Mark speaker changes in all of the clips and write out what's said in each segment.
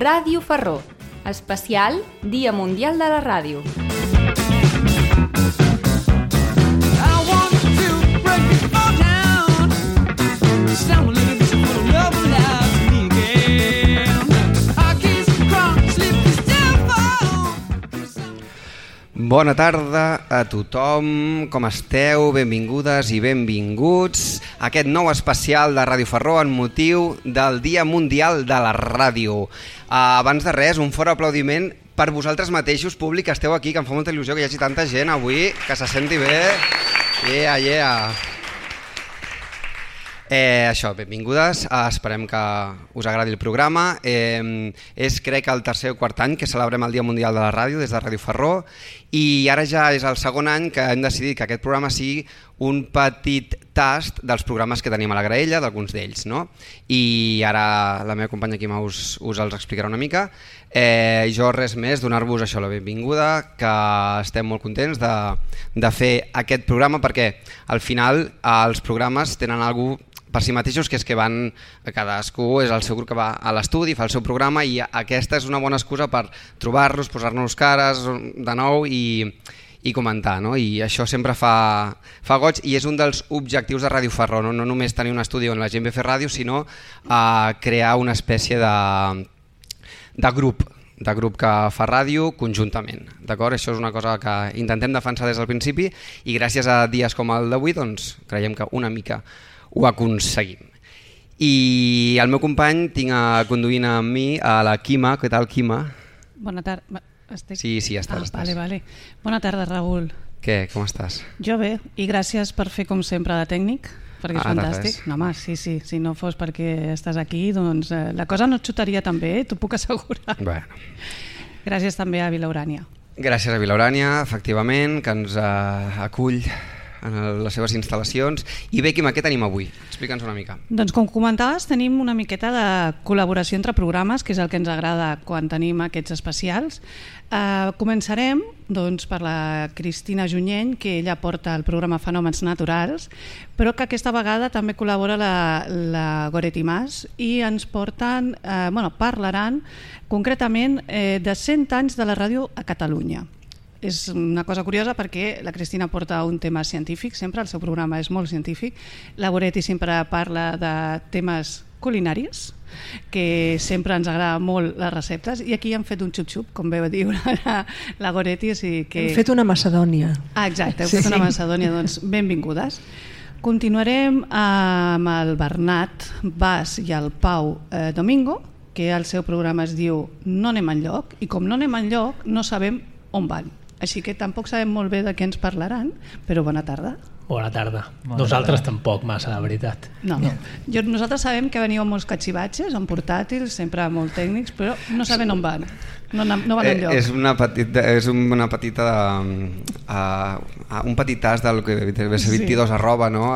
Speaker 1: Ràdio Ferró, especial Dia Mundial de la Ràdio.
Speaker 2: Bona tarda a tothom, com esteu? Benvingudes i benvinguts a aquest nou especial de Ràdio Ferró en motiu del Dia Mundial de la Ràdio. Abans de res, un fort aplaudiment per vosaltres mateixos, públic, que esteu aquí, que em fa molta il·lusió que hi hagi tanta gent avui, que se senti bé. Això, benvingudes, esperem que us agradi el programa. És, crec, el tercer o quart any que celebrem el Dia Mundial de la Ràdio des de Ràdio Ferró i ara ja és el segon any que hem decidit que aquest programa sigui un petit tast dels programes que tenim a la graella, d'alguns d'ells, no? I ara la meva companya Quima us els explicarà una mica. Jo res més, donar-vos això la benvinguda, que estem molt contents de fer aquest programa perquè al final els programes tenen alguna cosa per si mateixos, que és que van, cadascú és el seu grup que va a l'estudi, fa el seu programa i aquesta és una bona excusa per trobar-los, posar-nos cares de nou i comentar, no? I això sempre fa goig i és un dels objectius de Ràdio Ferró, no només tenir un estudi on la gent ve a fer ràdio, sinó crear una espècie de grup que fa ràdio conjuntament, d'acord? Això és una cosa que intentem defensar des del principi i gràcies a dies com el d'avui doncs creiem que una mica ho aconseguim. I el meu company tinc conduint amb mi a la Quima. Què tal, Quima?
Speaker 3: Bona tarda.
Speaker 2: Sí, estàs.
Speaker 3: Vale. Bona tarda, Raül.
Speaker 2: Què, com estàs?
Speaker 3: Jo bé, i gràcies per fer com sempre de tècnic, perquè és fantàstic. No, home, sí, si no fos perquè estàs aquí, doncs la cosa no et xutaria tan bé, t'ho puc assegurar.
Speaker 2: Bueno.
Speaker 3: Gràcies també a Vila Urània.
Speaker 2: Gràcies a Vila Urània, efectivament, que ens acull en les seves instal·lacions. I bé, Quima, què tenim avui? Explica'ns una mica.
Speaker 3: Doncs com comentaves, tenim una miqueta de col·laboració entre programes, que és el que ens agrada quan tenim aquests especials. Començarem doncs, per la Cristina Junyent, que ella porta el programa Fenòmens Naturals, però que aquesta vegada també col·labora la Goretti Mas i ens parlaran concretament de 100 anys de la ràdio a Catalunya. És una cosa curiosa perquè la Cristina porta un tema científic, sempre el seu programa és molt científic, la Goretti sempre parla de temes culinaris, que sempre ens agrada molt les receptes, i aquí han fet un xup-xup, com veu dir la Goretti.
Speaker 4: Hem fet una macedònia.
Speaker 3: Exacte, hem fet una macedònia, doncs benvingudes. Continuarem amb el Bernat Bas i el Pau Domingo, que el seu programa es diu No anem enlloc, i com no anem enlloc no sabem on van. Així que tampoc sabem molt bé de què ens parlaran, però bona tarda.
Speaker 5: Bona tarda. Nosaltres tampoc massa, la veritat.
Speaker 3: No. Nosaltres sabem que veniu amb molts catxivatges, amb portàtils, sempre molt tècnics, però no sabem on van. No van enlloc.
Speaker 2: És un petit tas del que deve ser 22 arroba, no?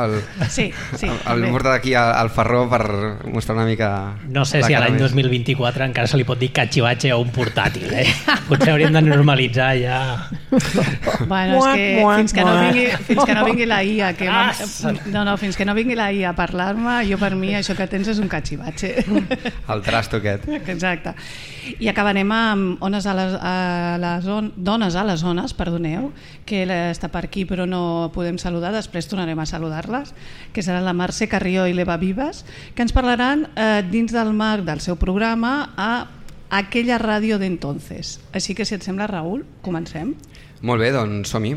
Speaker 3: Sí.
Speaker 2: El porta d'aquí al Ferró per mostrar una mica...
Speaker 5: No sé si a l'any 2024 encara se li pot dir catxivatge o un portàtil, Potser hauríem de normalitzar ja...
Speaker 3: Bueno, és que fins que no vingui la IA fins que no vingui la IA a parlar-me, jo per mi això que tens és un catxivatge.
Speaker 2: El trasto aquest.
Speaker 3: Exacte. I acabarem amb Dones a les Zones, perdoneu, que està per aquí però no podem saludar, després tornarem a saludar-les, que seran la Mercè Carrió i l'Eva Vives, que ens parlaran dins del marc del seu programa a Aquella ràdio d'entonces. Així que si et sembla, Raül, comencem.
Speaker 2: Molt bé, doncs som-hi.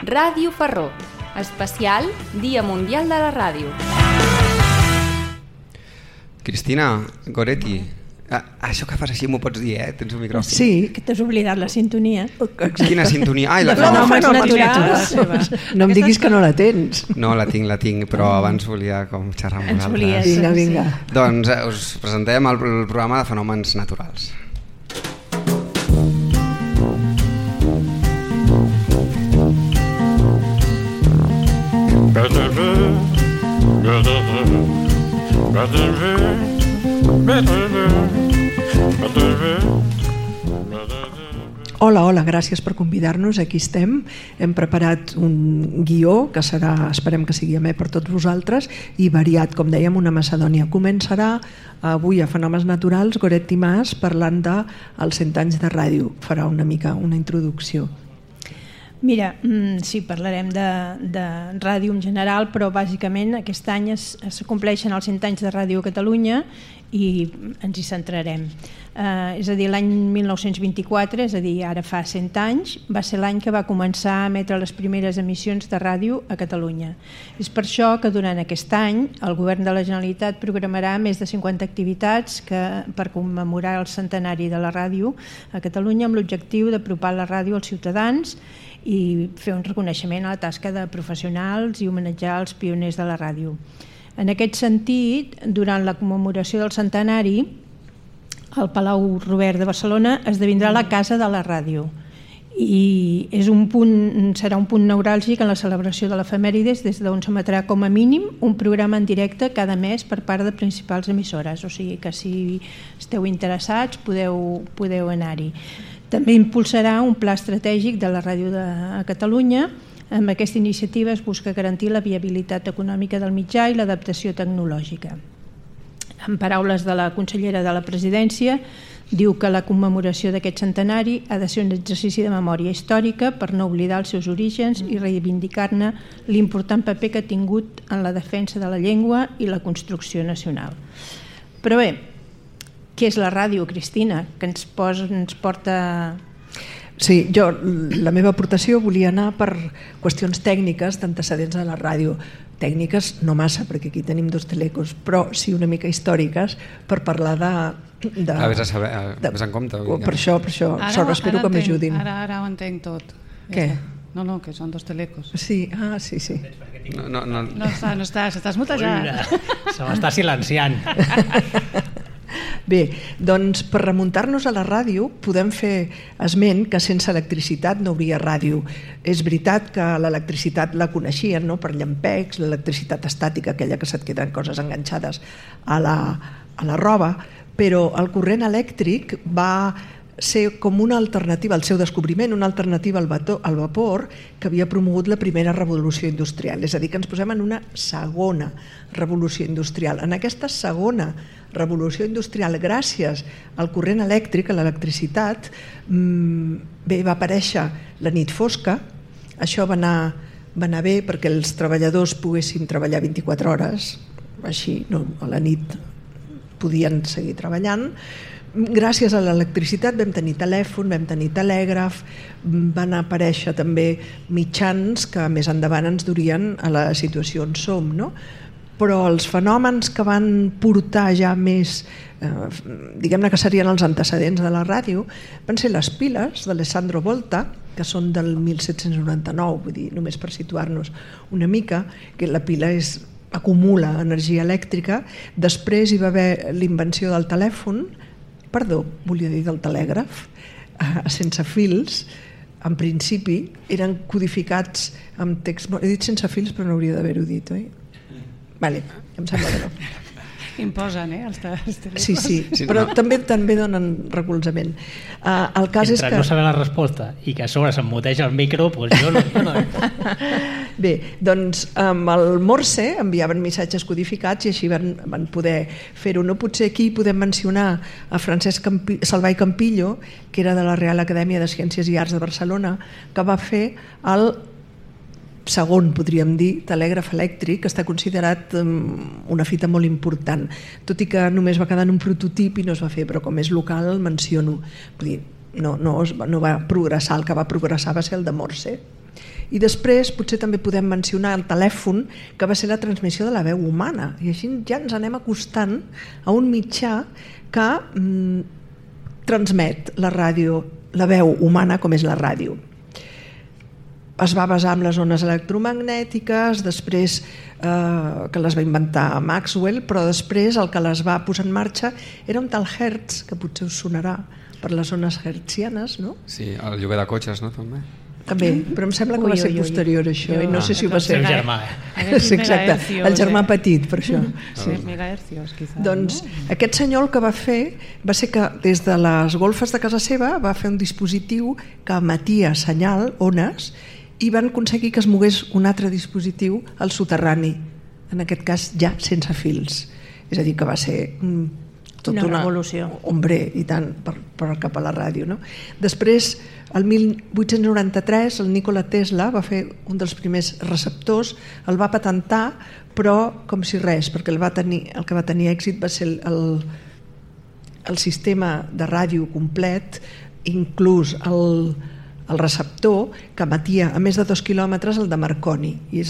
Speaker 1: Ràdio Ferró, especial Dia Mundial de la Ràdio.
Speaker 2: Cristina, Goretti, això que fas així m'ho pots dir, tens un micròfon.
Speaker 4: Sí, que t'has oblidat la sintonia.
Speaker 2: Quina sintonia?
Speaker 4: La Fenòmens Naturals. No em diguis que no la tens.
Speaker 2: No, la tinc, però abans volia com xerrar amb vosaltres.
Speaker 4: Vinga.
Speaker 2: Doncs us presentem el programa de Fenòmens Naturals.
Speaker 4: Hola, gràcies per convidar-nos, aquí estem. Hem preparat un guió que serà, esperem que sigui amè per tots vosaltres, i variat, com dèiem, una Macedònia. Començarà avui a Fenòmens Naturals, Goretti Mas, parlant dels 100 anys de ràdio. Farà una mica una introducció.
Speaker 6: Mira, sí, parlarem de ràdio en general, però bàsicament aquest any es compleixen els 100 anys de Ràdio Catalunya i ens hi centrarem. És a dir, l'any 1924, és a dir, ara fa 100 anys, va ser l'any que va començar a emetre les primeres emissions de ràdio a Catalunya. És per això que durant aquest any el Govern de la Generalitat programarà més de 50 activitats per commemorar el centenari de la ràdio a Catalunya, amb l'objectiu d'apropar la ràdio als ciutadans i fer un reconeixement a la tasca de professionals i homenatjar els pioners de la ràdio. En aquest sentit, durant la commemoració del centenari, el Palau Robert de Barcelona esdevindrà la Casa de la Ràdio i serà un punt neuràlgic en la celebració de l'efemèrides, des d'on s'emetrà com a mínim un programa en directe cada mes per part de principals emissores, o sigui que si esteu interessats podeu anar-hi. També impulsarà un pla estratègic de la ràdio de Catalunya. Amb aquesta iniciativa es busca garantir la viabilitat econòmica del mitjà i l'adaptació tecnològica. En paraules de la consellera de la Presidència, diu que la commemoració d'aquest centenari ha de ser un exercici de memòria històrica per no oblidar els seus orígens i reivindicar-ne l'important paper que ha tingut en la defensa de la llengua i la construcció nacional. Però bé, què és la ràdio, Cristina, que ens porta...
Speaker 4: Sí, la meva aportació volia anar per qüestions tècniques d'antecedents de la ràdio. Tècniques no massa, perquè aquí tenim 2 telecos, però sí una mica històriques per parlar de...
Speaker 2: Ves en compte.
Speaker 4: Per això espero que m'ajudin.
Speaker 3: Ara ho entenc tot.
Speaker 4: Què?
Speaker 3: No, que són 2 telecos.
Speaker 4: Sí, sí.
Speaker 3: No estàs mutejant.
Speaker 5: Se m'està silenciant.
Speaker 4: Bé, doncs per remuntar-nos a la ràdio podem fer esment que sense electricitat no hauria ràdio. És veritat que l'electricitat la coneixien, no?, per llampecs, l'electricitat estàtica, aquella que se't queden coses enganxades a la roba, però el corrent elèctric va ser com una alternativa, el seu descobriment, una alternativa al vapor que havia promogut la primera revolució industrial. És a dir, que ens posem en una segona revolució industrial. En aquesta segona revolució industrial, gràcies al corrent elèctric, a l'electricitat, va aparèixer la nit fosca. Això va anar bé perquè els treballadors poguessin treballar 24 hores, així a la nit podien seguir treballant. Gràcies a l'electricitat vam tenir telèfon, vam tenir telègraf, van aparèixer també mitjans que més endavant ens durien a la situació on som, no? Però els fenòmens que van portar ja més, diguem-ne que serien els antecedents de la ràdio, van ser les piles d'Alessandro Volta, que són del 1799, vull dir, només per situar-nos una mica, que la pila acumula energia elèctrica. Després hi va haver l'invenció del telèfon, del telègraf, sense fils. En principi eren codificats amb text... He dit sense fils, però no hauria d'haver-ho dit, oi? Vale, em sembla que no.
Speaker 3: Imposen, els telèfons.
Speaker 4: Sí, però també donen recolzament. El cas és que...
Speaker 5: no saber la resposta i que a sobre s'emmuteja el micro, doncs jo no...
Speaker 4: Bé, doncs amb el Morse enviaven missatges codificats i així van poder fer-ho. No, potser aquí podem mencionar a Francesc Salvà i Campillo, que era de la Real Acadèmia de Ciències i Arts de Barcelona, que va fer el segon, podríem dir, telègraf elèctric, que està considerat una fita molt important, tot i que només va quedar en un prototip i no es va fer, però com és local el menciono. Vull dir, no va progressar, el que va progressar va ser el de Morse. I després potser també podem mencionar el telèfon, que va ser la transmissió de la veu humana, i així ja ens anem acostant a un mitjà que transmet la ràdio, la veu humana com és la ràdio. Es va basar en les ones electromagnètiques, després que les va inventar Maxwell, però després el que les va posar en marxa era un tal Hertz, que potser us sonarà per les ones hertzianes, no?
Speaker 2: Sí, el lloguer de cotxes, no?
Speaker 4: També, però em sembla que va ser posterior això, i no sé si ho va ser.
Speaker 5: El seu germà.
Speaker 4: Sí, exacte, el germà petit, per això.
Speaker 3: Sí, megahercios, quizás.
Speaker 4: Doncs aquest senyor el que va fer va ser que des de les golfes de casa seva va fer un dispositiu que emetia senyal, ones, i van aconseguir que es mogués un altre dispositiu al soterrani, en aquest cas ja sense fils. És a dir, que va ser tota una
Speaker 6: revolució.
Speaker 4: Hombre, i tant, per cap a la ràdio. No? Després, el 1893, el Nikola Tesla va fer un dels primers receptors, el va patentar, però com si res, perquè el que va tenir èxit va ser el sistema de ràdio complet, inclús el receptor que emetia a més de 2 quilòmetres, el de Marconi. I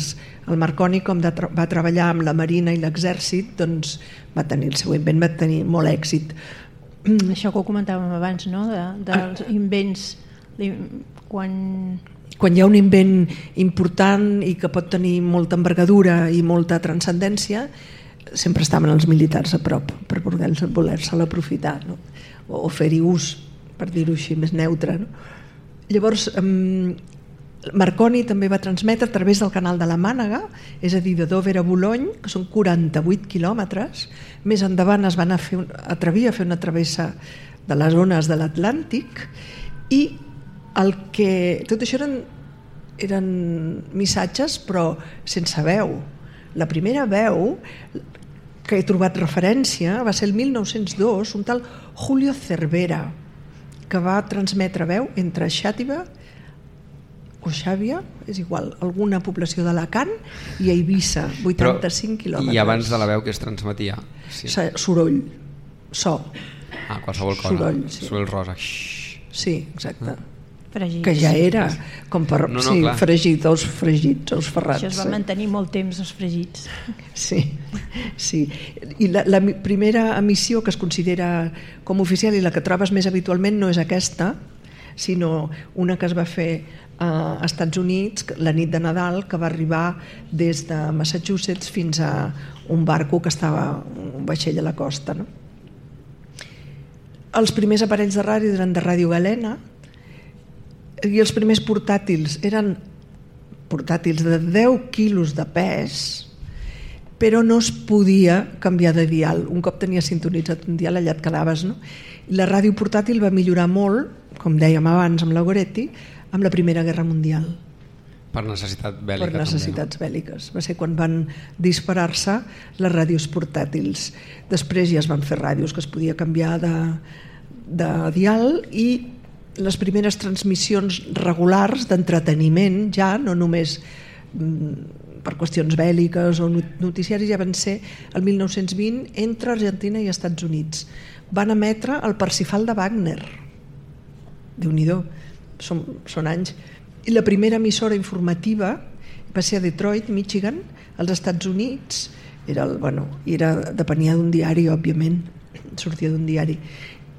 Speaker 4: el Marconi, com va treballar amb la Marina i l'Exèrcit, doncs va tenir el seu invent, va tenir molt èxit.
Speaker 6: Això que ho comentàvem abans, no? Dels invents, quan
Speaker 4: hi ha un invent important i que pot tenir molta envergadura i molta transcendència, sempre estaven els militars a prop per voler-se'l aprofitar, no? O fer-hi ús, per dir-ho així, més neutre. No? Llavors, Marconi també va transmetre a través del canal de la Mànega, és a dir, de Dover a Boulogne, que són 48 quilòmetres. Més endavant es van atrevir a fer una travessa de les ones de l'Atlàntic, i tot això eren missatges però sense veu. La primera veu que he trobat referència va ser el 1902, un tal Julio Cervera, que va transmetre veu entre Xàtiva o Xàbia, és igual, alguna població d'Alacant, i a Eivissa, 85 quilòmetres.
Speaker 2: I abans de la veu que es transmetia?
Speaker 4: Sí. Soroll, so.
Speaker 2: Qualsevol cosa.
Speaker 4: Soroll, sí.
Speaker 2: Soroll rosa.
Speaker 4: Sí, exacte.
Speaker 6: Fregits.
Speaker 4: Que ja era com per fregit, els fregits, els ferrats.
Speaker 6: Això es va mantenir molt temps, els fregits.
Speaker 4: Sí. I la primera emissió que es considera com oficial i la que trobes més habitualment no és aquesta, sinó una que es va fer a Estats Units la nit de Nadal, que va arribar des de Massachusetts fins a un barco que estava, un vaixell a la costa. No? Els primers aparells de ràdio eren de Ràdio Galena, i els primers portàtils eren portàtils de 10 quilos de pes, però no es podia canviar de dial. Un cop tenies sintonitzat un dial, allà et quedaves. No? La ràdio portàtil va millorar molt, com dèiem abans amb la Goretti, amb la Primera Guerra Mundial.
Speaker 2: Per necessitat bèl·lica.
Speaker 4: Per necessitats bèl·liques. Va ser quan van disparar-se les ràdios portàtils. Després ja es van fer ràdios que es podia canviar de dial, i les primeres transmissions regulars d'entreteniment, ja no només per qüestions bèl·liques o noticiaris, ja van ser el 1920 entre Argentina i Estats Units. Van emetre el Parsifal de Wagner. Déu-n'hi-do, són anys. I la primera emissora informativa va ser a Detroit, Michigan, als Estats Units. Depenia d'un diari, òbviament, sortia d'un diari.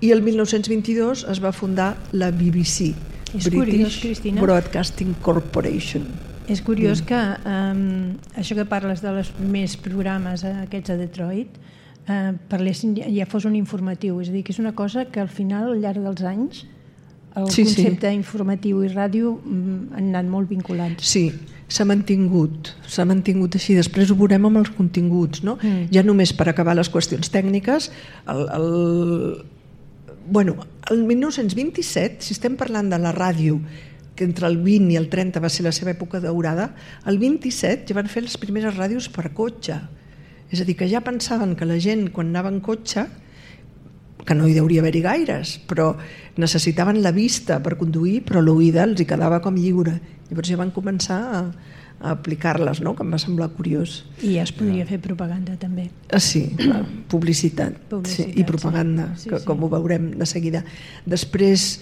Speaker 4: I el 1922 es va fundar la BBC, British Broadcasting Corporation.
Speaker 6: És curiós que això que parles dels primers programes aquests a Detroit parlessin, ja fos un informatiu, és a dir, que és una cosa que al final, al llarg dels anys, el concepte informatiu i ràdio han anat molt vinculats.
Speaker 4: Sí, s'ha mantingut així. Després ho veurem amb els continguts, no? Ja només per acabar les qüestions tècniques, el 1927, si estem parlant de la ràdio, que entre el 20 i el 30 va ser la seva època daurada, el 27 ja van fer les primeres ràdios per cotxe. És a dir, que ja pensaven que la gent, quan anava en cotxe, que no hi hauria haver-hi gaires, però necessitaven la vista per conduir, però l'oïda els hi quedava com lliure. Llavors ja van començar a aplicar-les, no? Que em va semblar curiós.
Speaker 6: I ja es podria fer propaganda també.
Speaker 4: Sí, publicitat i propaganda, com ho veurem de seguida. Després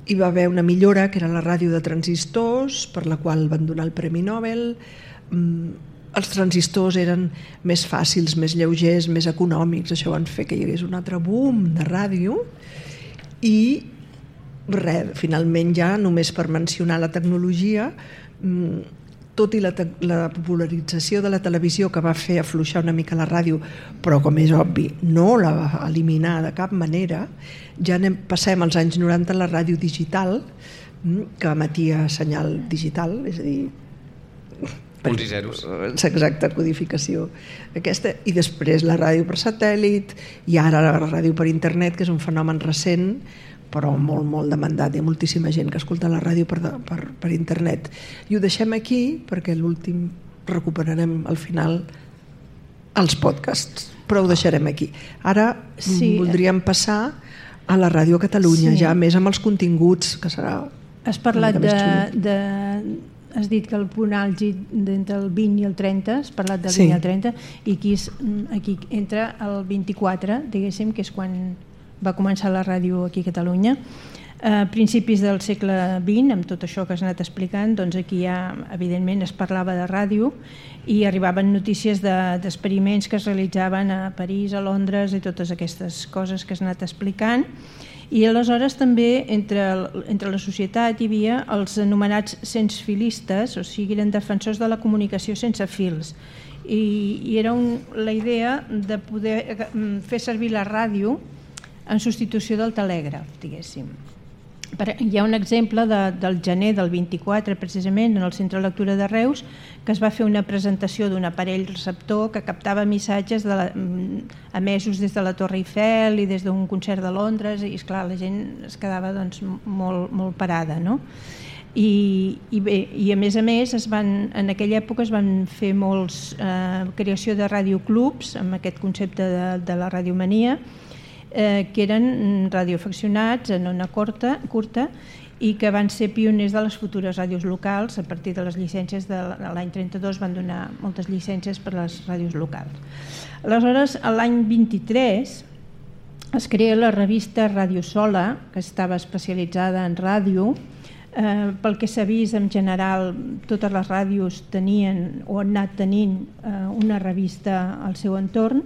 Speaker 4: hi va haver una millora, que era la ràdio de transistors, per la qual van donar el Premi Nobel. Els transistors eren més fàcils, més lleugers, més econòmics. Això van fer que hi hagués un altre boom de ràdio. I finalment, ja només per mencionar la tecnologia, tot i la popularització de la televisió, que va fer afluixar una mica la ràdio, però com és obvi no la va eliminar de cap manera, ja passem als anys 90 a la ràdio digital, que emetia senyal digital, és a dir,
Speaker 2: punts i zeros.
Speaker 4: Exacte, codificació aquesta, i després la ràdio per satèl·lit i ara la ràdio per internet, que és un fenomen recent però molt, molt demandat. Hi ha moltíssima gent que escolta la ràdio per internet. I ho deixem aquí perquè l'últim recuperarem al final els podcasts, però ho deixarem aquí. Ara voldríem passar a la Ràdio Catalunya, ja més amb els continguts, que serà...
Speaker 6: Has parlat has dit que el punt àlgid d'entre el 20 i el 30, has parlat del 20 i el 30, i aquí entra el 24, diguéssim, que és quan va començar la ràdio aquí a Catalunya. A principis del segle XX, amb tot això que has anat explicant, doncs aquí ja, evidentment, es parlava de ràdio i arribaven notícies d'experiments que es realitzaven a París, a Londres i totes aquestes coses que has anat explicant. I aleshores també entre la societat hi havia els anomenats sensfilistes, o sigui, eren defensors de la comunicació sense fils. I era la idea de poder fer servir la ràdio en substitució del telègraf, diguéssim. Hi ha un exemple del gener del 24, precisament, en el Centre de Lectura de Reus, que es va fer una presentació d'un aparell receptor que captava missatges emesos des de la Torre Eiffel i des d'un concert de Londres, i esclar, la gent es quedava doncs, molt parada, no? I a més, en aquella època es van fer molts creació de radioclubs amb aquest concepte de la radiomania, que eren radioaficionats en ona curta i que van ser pioners de les futures ràdios locals. A partir de les llicències de l'any 32 van donar moltes llicències per a les ràdios locals. Aleshores, l'any 23 es crea la revista Ràdio Sola, que estava especialitzada en ràdio. Pel que s'ha vist, en general, totes les ràdios tenien o han anat tenint una revista al seu entorn.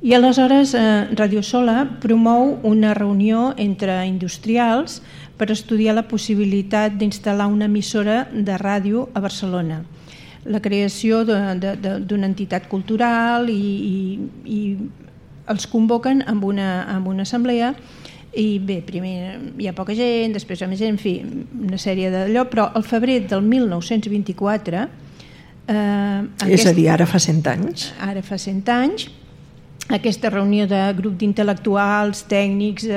Speaker 6: I aleshores Ràdio Sola promou una reunió entre industrials per estudiar la possibilitat d'instal·lar una emissora de ràdio a Barcelona. La creació d'una entitat cultural i els convoquen amb una assemblea i bé, primer hi ha poca gent, després hi ha més gent, en fi, una sèrie d'allò, però al febrer del 1924...
Speaker 4: és a dir, ara fa 100 anys.
Speaker 6: Ara fa 100 anys. Aquesta reunió de grup d'intel·lectuals, tècnics,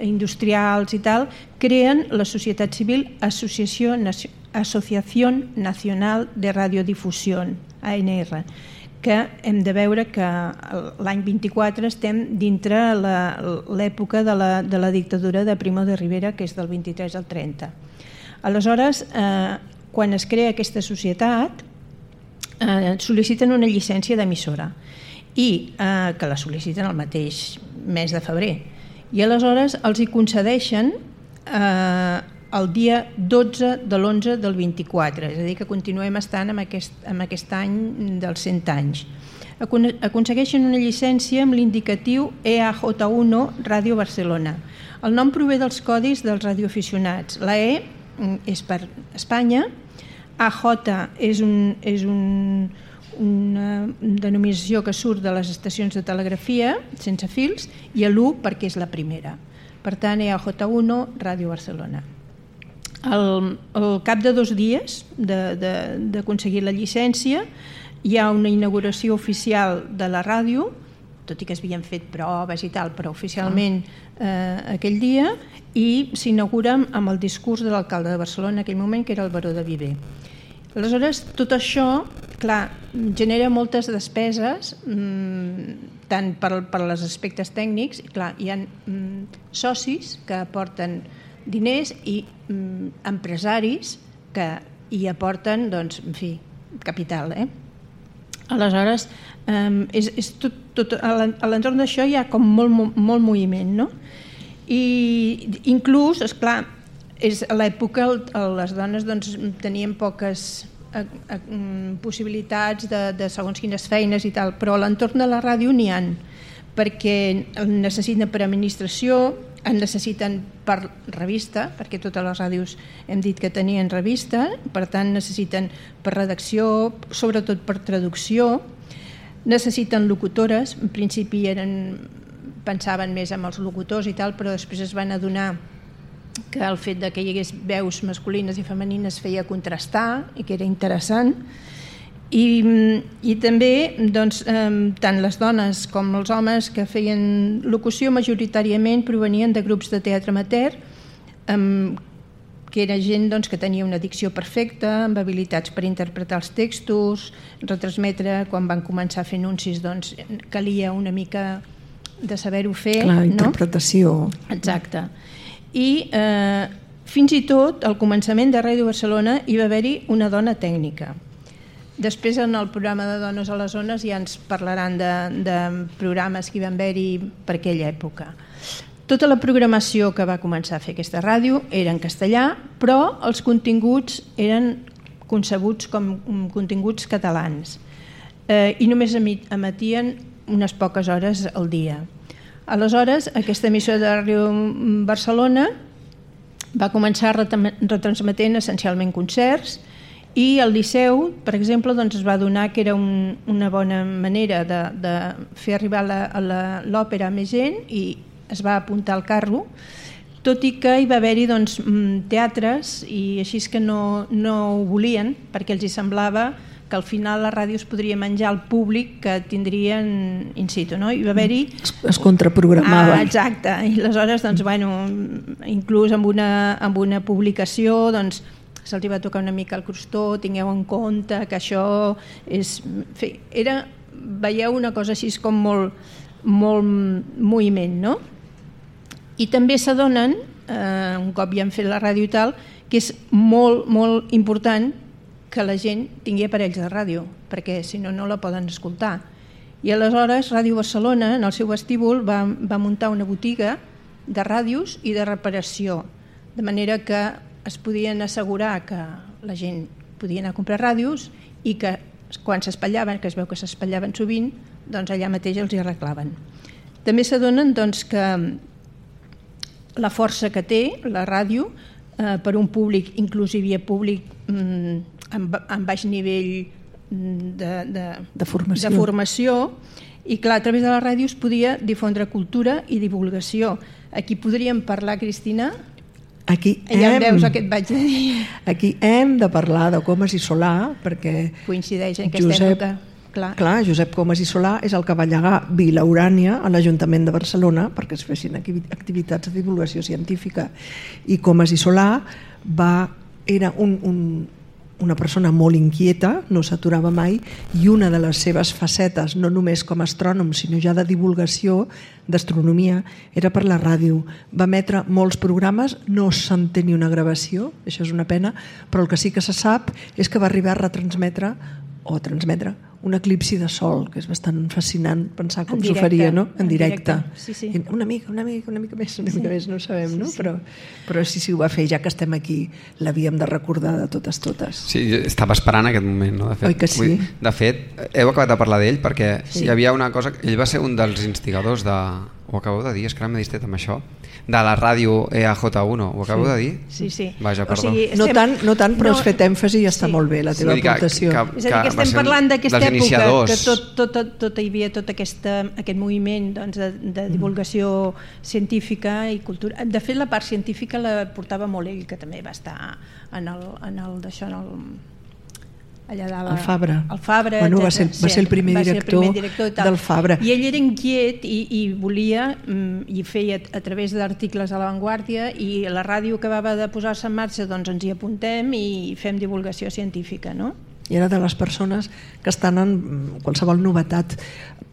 Speaker 6: industrials i tal, creen la societat civil Asociación Nacional de Radiodifusión, ANR, que hem de veure que l'any 24 estem dintre l'època de la dictadura de Primo de Rivera, que és del 23 al 30. Aleshores, quan es crea aquesta societat, sol·liciten una llicència d'emissora i que la sol·liciten el mateix mes de febrer. I aleshores els hi concedeixen el dia 12 de l'11 del 24, és a dir, que continuem estant amb aquest any dels 100 anys. Aconsegueixen una llicència amb l'indicatiu EAJ1 Ràdio Barcelona. El nom prové dels codis dels radioaficionats. La E és per Espanya, AJ és una denominació que surt de les estacions de telegrafia sense fils, i l'1 perquè és la primera. Per tant, EAJ1 Ràdio Barcelona. Al cap de 2 dies d'aconseguir la llicència hi ha una inauguració oficial de la ràdio, tot i que s'havien fet proves i tal, però oficialment aquell dia, i s'inaugura amb el discurs de l'alcalde de Barcelona en aquell moment, que era el baró de Viver. Aleshores, tot això, clar, genera moltes despeses, tant per als aspectes tècnics, clar, hi ha socis que aporten diners i empresaris que hi aporten, doncs, en fi, capital. Aleshores, a l'entorn d'això hi ha com molt moviment, no? I inclús, esclar, és a l'època les dones tenien poques possibilitats de segons quines feines i tal, però a l'entorn de la ràdio n'hi ha, perquè en necessiten per administració, en necessiten per revista, perquè totes les ràdios hem dit que tenien revista, per tant necessiten per redacció, sobretot per traducció, necessiten locutores, en principi pensaven més en els locutors i tal, però després es van adonar que el fet de que hi hagués veus masculines i femenines feia contrastar i que era interessant. I també doncs, tant les dones com els homes que feien locució majoritàriament provenien de grups de teatre amateur, que era gent doncs, que tenia una dicció perfecta, amb habilitats per interpretar els textos, retransmetre. Quan van començar a fer anuncis doncs, calia una mica de saber-ho fer.
Speaker 4: La interpretació.
Speaker 6: No? Exacte. I fins i tot al començament de Ràdio Barcelona hi va haver-hi una dona tècnica. Després en el programa de Dones a les Ones ja ens parlaran de programes que hi van haver-hi per aquella època. Tota la programació que va començar a fer aquesta ràdio era en castellà, però els continguts eren concebuts com continguts catalans i només emetien unes poques hores al dia. Aleshores, aquesta emissora de Ràdio Barcelona va començar retransmetent essencialment concerts i al Liceu, per exemple, doncs es va adonar que era una bona manera de fer arribar l'òpera a més gent i es va apuntar al carro, tot i que hi va haver-hi doncs, teatres i així que no ho volien perquè els hi semblava que al final la ràdio es podria menjar al públic que tindrien in situ. No? Hi va haver-hi...
Speaker 4: Es contraprogramava.
Speaker 6: Exacte, i aleshores doncs, bueno, inclús amb una publicació doncs, se'ls va tocar una mica el crostó, tingueu en compte que això és... Veieu una cosa així com molt moviment, no? I també s'adonen, un cop ja han fet la ràdio i tal, que és molt, molt important que la gent tingui aparells de ràdio, perquè si no, no la poden escoltar. I aleshores Ràdio Barcelona, en el seu vestíbul, va muntar una botiga de ràdios i de reparació, de manera que es podien assegurar que la gent podia anar a comprar ràdios i que quan s'espallaven, que es veu que s'espallaven sovint, doncs allà mateix els hi arreglaven. També s'adonen doncs, que la força que té la ràdio per un públic, inclús hi havia públic amb baix nivell de formació i clar, a través de la ràdio es podia difondre cultura i divulgació. Aquí podríem parlar, Cristina? Ja veus el que et vaig dir.
Speaker 4: Aquí hem de parlar de Comas i Solà perquè
Speaker 6: coincideix en aquesta època.
Speaker 4: Clar, Josep Comas i Solà és el que va llegar Vila Urània a l'Ajuntament de Barcelona perquè es fessin activitats de divulgació científica, i Comas i Solà era una persona molt inquieta, no s'aturava mai, i una de les seves facetes, no només com a astrònom sinó ja de divulgació d'astronomia, era per la ràdio. Va emetre molts programes, no se'n té ni una gravació, això és una pena, però el que sí que se sap és que va arribar a transmetre un eclipsi de sol, que és bastant fascinant pensar com s'ho faria, no? En directe.
Speaker 6: Sí.
Speaker 4: Una mica més, no ho sabem, no? Però sí, ho va fer, ja que estem aquí, l'havíem de recordar de totes.
Speaker 2: Sí, estava esperant aquest moment, no?
Speaker 4: Oi que sí?
Speaker 2: De fet, heu acabat de parlar d'ell perquè hi havia una cosa, ell va ser un dels instigadors ho acabeu de dir, és que ara m'he distret amb això, de la ràdio EAJ1, ho acabeu de dir?
Speaker 6: Sí.
Speaker 2: Vaja, perdó.
Speaker 4: No tant, però has fet èmfasi i està molt bé la teva aportació.
Speaker 6: És a dir, que estem parlant d'aquesta època, que hi havia tot aquest moviment de divulgació científica i cultura. De fet, la part científica la portava molt ell, que també va estar en el d'això, allà dalt,
Speaker 4: el Fabra, va ser el primer director del Fabra,
Speaker 6: i ell era inquiet i volia i feia a través d'articles a La Vanguardia, i la ràdio acabava de posar-se en marxa, doncs ens hi apuntem i fem divulgació científica, no?
Speaker 4: I era de les persones que estan en qualsevol novetat.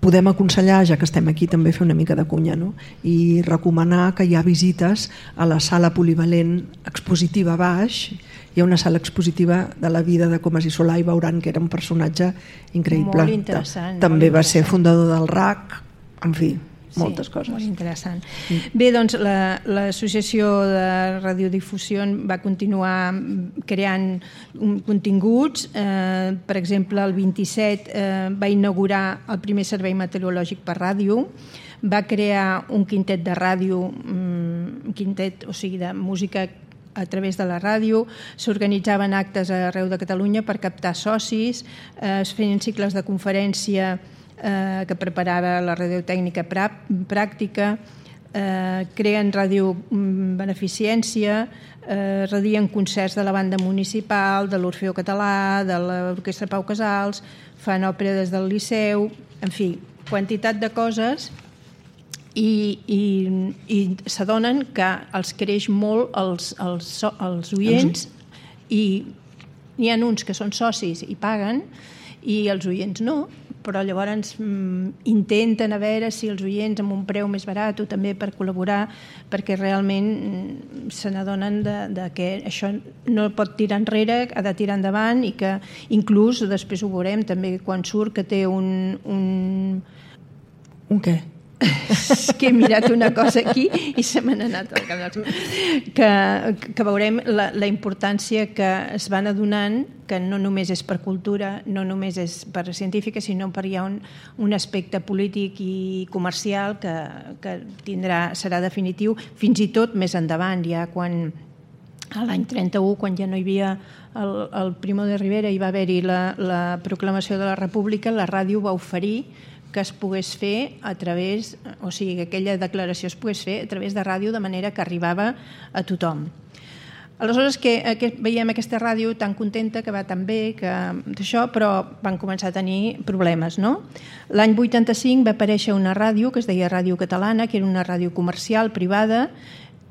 Speaker 4: Podem aconsellar, ja que estem aquí, també fer una mica de cunya, no? I recomanar que hi ha visites a la sala polivalent expositiva baix. Hi ha una sala expositiva de la vida de Comas i Solà i veuran que era un personatge increïble.
Speaker 6: Molt interessant.
Speaker 4: També va ser fundador del RAC, en fi, moltes coses.
Speaker 6: Molt interessant. Bé, doncs l'associació de radiodifusió va continuar creant continguts. Per exemple, el 27 va inaugurar el primer servei meteorològic per ràdio, va crear un quintet de ràdio, o sigui, de música a través de la ràdio, s'organitzaven actes arreu de Catalunya per captar socis, es feien cicles de conferència que preparava la radiotècnica pràctica, creen ràdio beneficència, radien concerts de la banda municipal, de l'Orfeó Català, de l'Orquestra Pau Casals, fan òpera des del Liceu, en fi, quantitat de coses, i s'adonen que els creix molt els oients, i n'hi ha uns que són socis i paguen i els oients no, però llavors intenten a veure si els oients amb un preu més barat o també per col·laborar, perquè realment se n'adonen que això no pot tirar enrere, ha de tirar endavant, i que inclús després ho veurem també quan surt que té un què? Que he mirat una cosa aquí i se m'ha anat al cap. Que veurem la importància que es van adonant, que no només és per cultura, no només és per científica, sinó per hi ha un aspecte polític i comercial que serà definitiu, fins i tot més endavant, ja quan a l'any 31, quan ja no hi havia el Primo de Rivera, hi va haver-hi la proclamació de la República, la ràdio va oferir que es pogués fer a través, o sigui, que aquella declaració es pogués fer a través de ràdio, de manera que arribava a tothom. Aleshores que veiem aquesta ràdio tan contenta, que va tan bé, d'això, però van començar a tenir problemes, no? L'any 85 va aparèixer una ràdio que es deia Ràdio Catalana, que era una ràdio comercial, privada,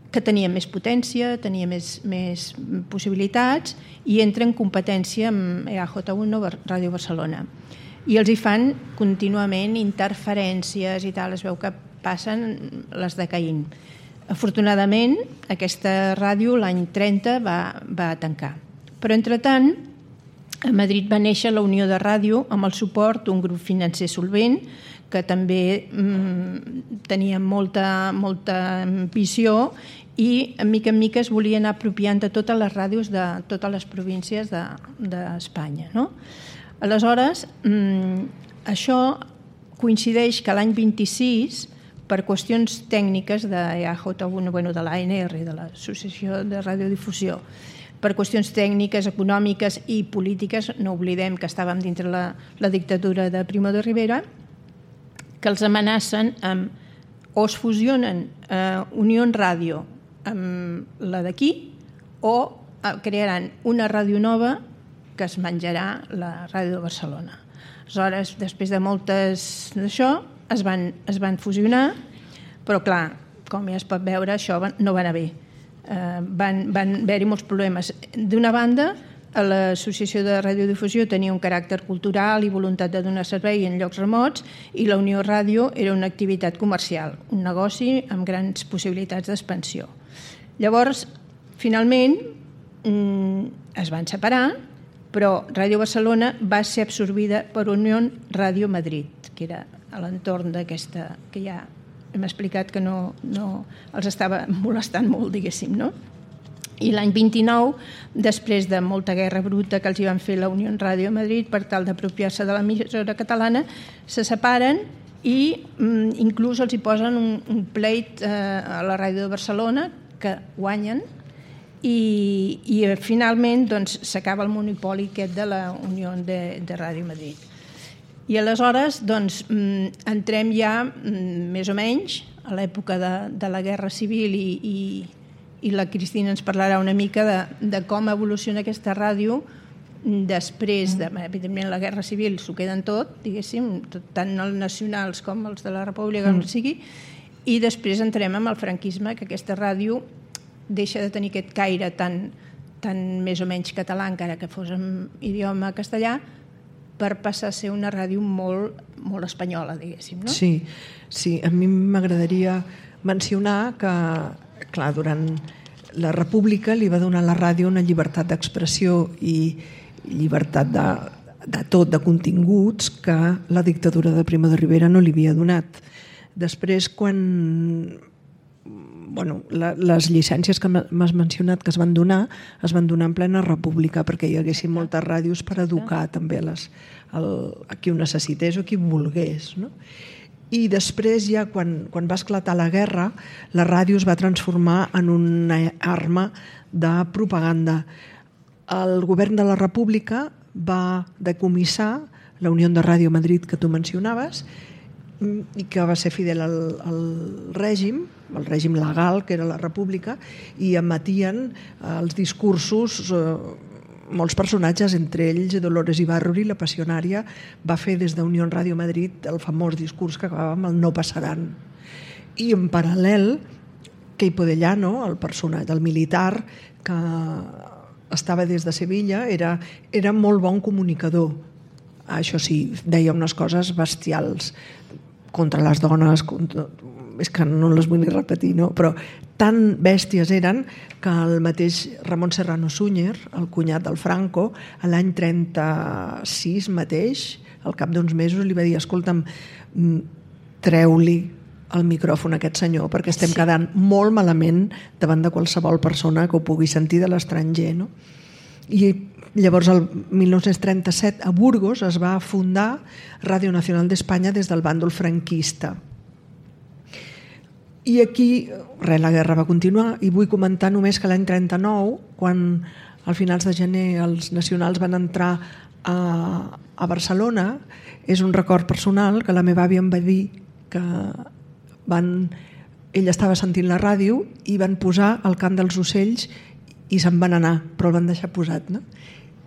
Speaker 6: que tenia més potència, tenia més possibilitats, i entra en competència amb EAJ1, Ràdio Barcelona. I els hi fan contínuament interferències i tal, es veu que passen les de Caín. Afortunadament, aquesta ràdio l'any 30 va tancar. Però, entretant, a Madrid va néixer la Unió de Ràdio amb el suport d'un grup financer solvent que també tenia molta ambició i, en mica es volia anar apropiant de totes les ràdios de totes les províncies d'Espanya, no? Aleshores, això coincideix que l'any 26, per qüestions tècniques de EAJ1, de l'ANR, de l'Associació de Radiodifusió, per qüestions tècniques, econòmiques i polítiques, no oblidem que estàvem dintre la dictadura de Primo de Rivera, que els amenacen amb o es fusionen Unió Ràdio amb la d'aquí o crearan una ràdio nova que es menjarà la ràdio de Barcelona. Aleshores, després de moltes d'això, es van fusionar, però clar, com ja es pot veure, això no va anar bé. Van haver-hi molts problemes. D'una banda, l'Associació de Radiodifusió tenia un caràcter cultural i voluntat de donar servei en llocs remots, i la Unió Ràdio era una activitat comercial, un negoci amb grans possibilitats d'expansió. Llavors, finalment, es van separar, però Ràdio Barcelona va ser absorbida per Unió Ràdio Madrid, que era a l'entorn d'aquesta, que ja hem explicat que no els estava molestant molt, diguéssim, no? I l'any 29, després de molta guerra bruta que els hi van fer la Unió Ràdio Madrid per tal d'apropiar-se de l'emissora catalana, se separen i inclús els hi posen un pleit a la Ràdio de Barcelona que guanyen, i finalment s'acaba el monopoli aquest de la Unió de Ràdio Madrid. I aleshores entrem ja més o menys a l'època de la Guerra Civil, i la Cristina ens parlarà una mica de com evoluciona aquesta ràdio després de, evidentment, la Guerra Civil s'ho queden tot, diguéssim, tant els nacionals com els de la República, com sigui, i després entrem amb el franquisme, que aquesta ràdio deixa de tenir aquest caire tan més o menys català, encara que fos en idioma castellà, per passar a ser una ràdio molt espanyola, diguéssim, no?
Speaker 4: Sí, a mi m'agradaria mencionar que, clar, durant la República li va donar a la ràdio una llibertat d'expressió i llibertat de tot, de continguts, que la dictadura de Primo de Rivera no li havia donat. Després, quan les llicències que m'has mencionat que es van donar en plena república perquè hi haguessin moltes ràdios per educar també a qui ho necessités o qui ho volgués, no? I després ja quan va esclatar la guerra, la ràdio es va transformar en una arma de propaganda. El govern de la República va decomissar la Unió de Ràdio Madrid que tu mencionaves i que va ser fidel al règim, el règim legal, que era la república, i emetien els discursos molts personatges, entre ells Dolores Ibárruri, la passionària, va fer des d'Unió Ràdio Madrid el famós discurs que acabava amb el no passaran. I en paral·lel, Queipo de Llano, el personatge, el militar que estava des de Sevilla, era molt bon comunicador. Això sí, deia unes coses bestials contra les dones, és que no les vull ni repetir, no? Però tan bèsties eren que el mateix Ramon Serrano Súñer, el cunyat del Franco, l'any 36 mateix, al cap d'uns mesos, li va dir: escolta'm, treu-li el micròfon a aquest senyor, perquè estem quedant molt malament davant de qualsevol persona que ho pugui sentir de l'estranger, no? I llavors, el 1937, a Burgos es va fundar Ràdio Nacional d'Espanya des del bàndol franquista. I aquí, la guerra va continuar, i vull comentar només que l'any 39, quan a finals de gener els nacionals van entrar a Barcelona, és un record personal que la meva àvia em va dir que ella estava sentint la ràdio i van posar el cant dels ocells i se'n van anar, però el van deixar posat, no?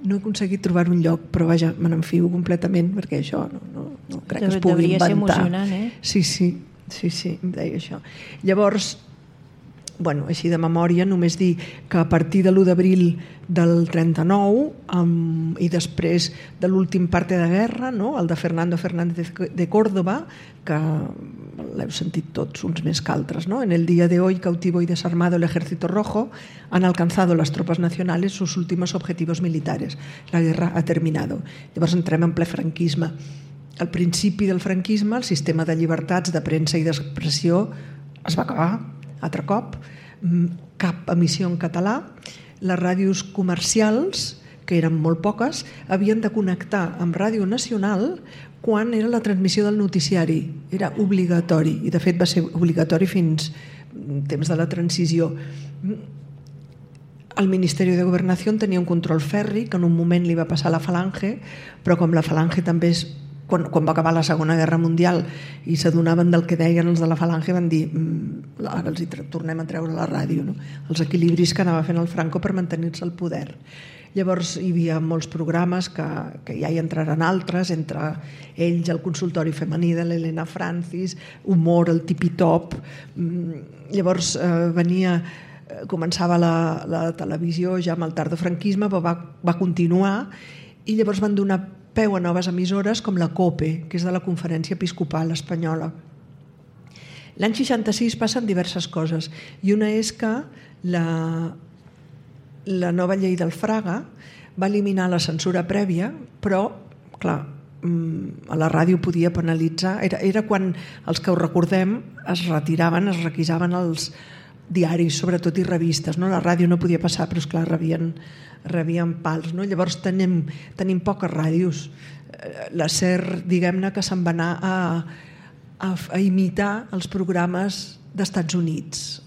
Speaker 4: No he aconseguit trobar un lloc, però vaja, me n'enfio completament, perquè això no crec que es pugui inventar.
Speaker 6: Devia ser emocionant, eh?
Speaker 4: Sí, em deia això. Llavors, així de memòria, només dir que a partir de l'1 d'abril del 39 i després de l'últim parte de guerra, no? El de Fernando Fernández de Córdoba, que l'heu sentit tots uns més que altres, ¿no? En el día de hoy, cautivo y desarmado el Ejército Rojo, han alcanzado las tropas nacionales sus últimos objetivos militares. La guerra ha terminado. Llavors entrem en ple franquisme. Al principi del franquisme, el sistema de llibertats de premsa i d'expressió es va acabar, altre cop, cap emissió en català. Les ràdios comercials, que eren molt poques, havien de connectar amb Ràdio Nacional quan era la transmissió del noticiari. Era obligatori, i de fet va ser obligatori fins temps de la transició. El Ministeri de Governació tenia un control fèrric que en un moment li va passar a la Falange, però com la Falange també quan va acabar la Segona Guerra Mundial i s'adonaven del que deien els de la Falange, van dir ara els tornem a treure la ràdio, no? Els equilibris que anava fent el Franco per mantenir-se al poder. Llavors hi havia molts programes que ja hi entraran altres, entre ells el consultori femení de l'Helena Francis, humor, el tipi-top. Llavors començava la televisió ja amb el tardofranquisme, però va continuar, i llavors van donar peu a noves emissores com la COPE, que és de la Conferència Episcopal Espanyola. L'any 66 passen diverses coses, i una és que la nova llei del Fraga va eliminar la censura prèvia, però, clar, a la ràdio podia penalitzar. Era quan els que ho recordem es retiraven, es requisaven els diaris, sobretot, i revistes. La ràdio no podia passar, però esclar, rebien pals. Llavors tenim poques ràdios. La SER, diguem-ne, que se'n va anar a imitar els programes d'Estats Units.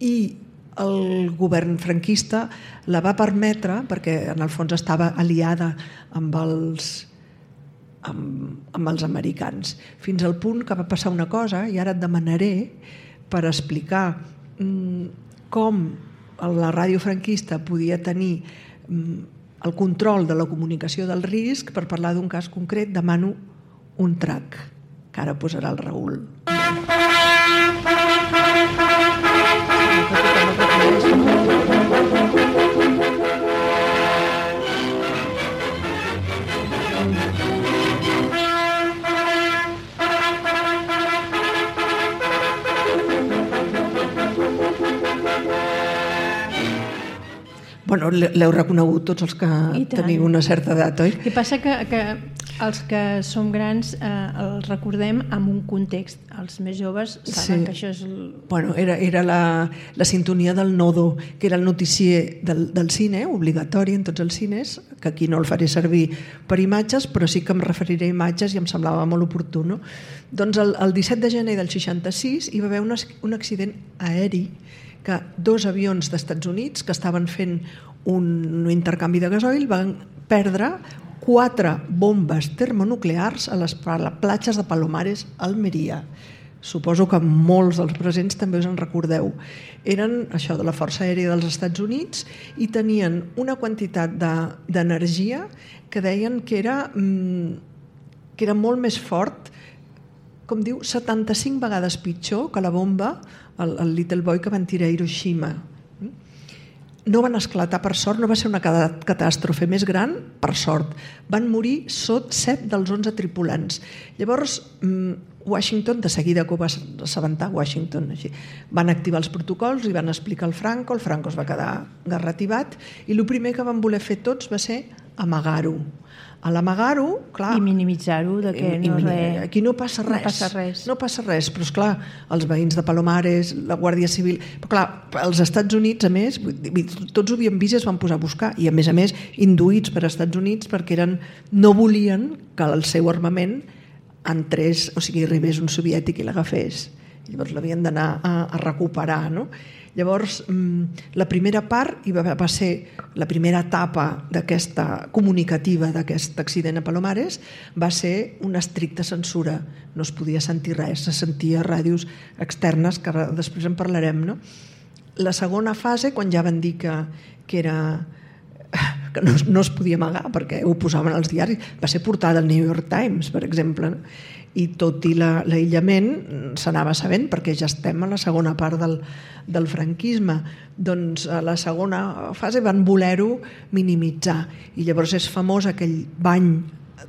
Speaker 4: I el govern franquista la va permetre, perquè en el fons estava aliada amb els americans, fins al punt que va passar una cosa, i ara et demanaré per explicar com la ràdio franquista podia tenir el control de la comunicació del risc. Per parlar d'un cas concret demano un track que ara posarà el Raül. L'heu reconegut tots els que teniu una certa edat, oi?
Speaker 6: El que passa que els que som grans els recordem amb un context. Els més joves saben que això és...
Speaker 4: Era la sintonia del Nodo, que era el noticier del cine, obligatori en tots els cines, que aquí no el faré servir per imatges, però sí que em referiré a imatges i em semblava molt oportú. Doncs el 17 de gener del 66 hi va haver un accident aeri que 2 avions d'Estats Units que estaven fent un intercanvi de gasoil van perdre 4 bombes termonuclears a les platges de Palomares, Almeria. Suposo que molts dels presents també us en recordeu. Eren això de la Força Aèria dels Estats Units i tenien una quantitat d'energia que deien que era molt més fort, com diu, 75 vegades pitjor que la bomba, el Little Boy que van tirar a Hiroshima. No van esclatar, per sort, no va ser una catàstrofe més gran, per sort. Van morir 7 dels 11 tripulants. Llavors, Washington, de seguida que ho va assabentar Washington, així, van activar els protocols i van explicar al Franco, el Franco es va quedar garrativat i el primer que van voler fer tots va ser amagar-ho. A l'amagar-ho, clar...
Speaker 6: I minimitzar-ho, de que
Speaker 4: aquí no passa res. No passa res, però esclar, els veïns de Palomares, la Guàrdia Civil... Però clar, els Estats Units, a més, tots ho havien vist i es van posar a buscar, i a més, induïts per Estats Units perquè no volien que el seu armament entrés, o sigui, arribés un soviètic i l'agafés. Llavors l'havien d'anar a recuperar, no? Llavors, la primera part va ser la primera etapa d'aquesta comunicativa d'aquest accident a Palomares va ser una estricta censura. No es podia sentir res, se sentia ràdios externes, que després en parlarem, no? La segona fase, quan ja van dir que no es podia amagar perquè ho posaven als diaris, va ser portada al New York Times, per exemple, no? I tot i l'aïllament s'anava sabent perquè ja estem a la segona part del franquisme. Doncs a la segona fase van voler-ho minimitzar i llavors és famós aquell bany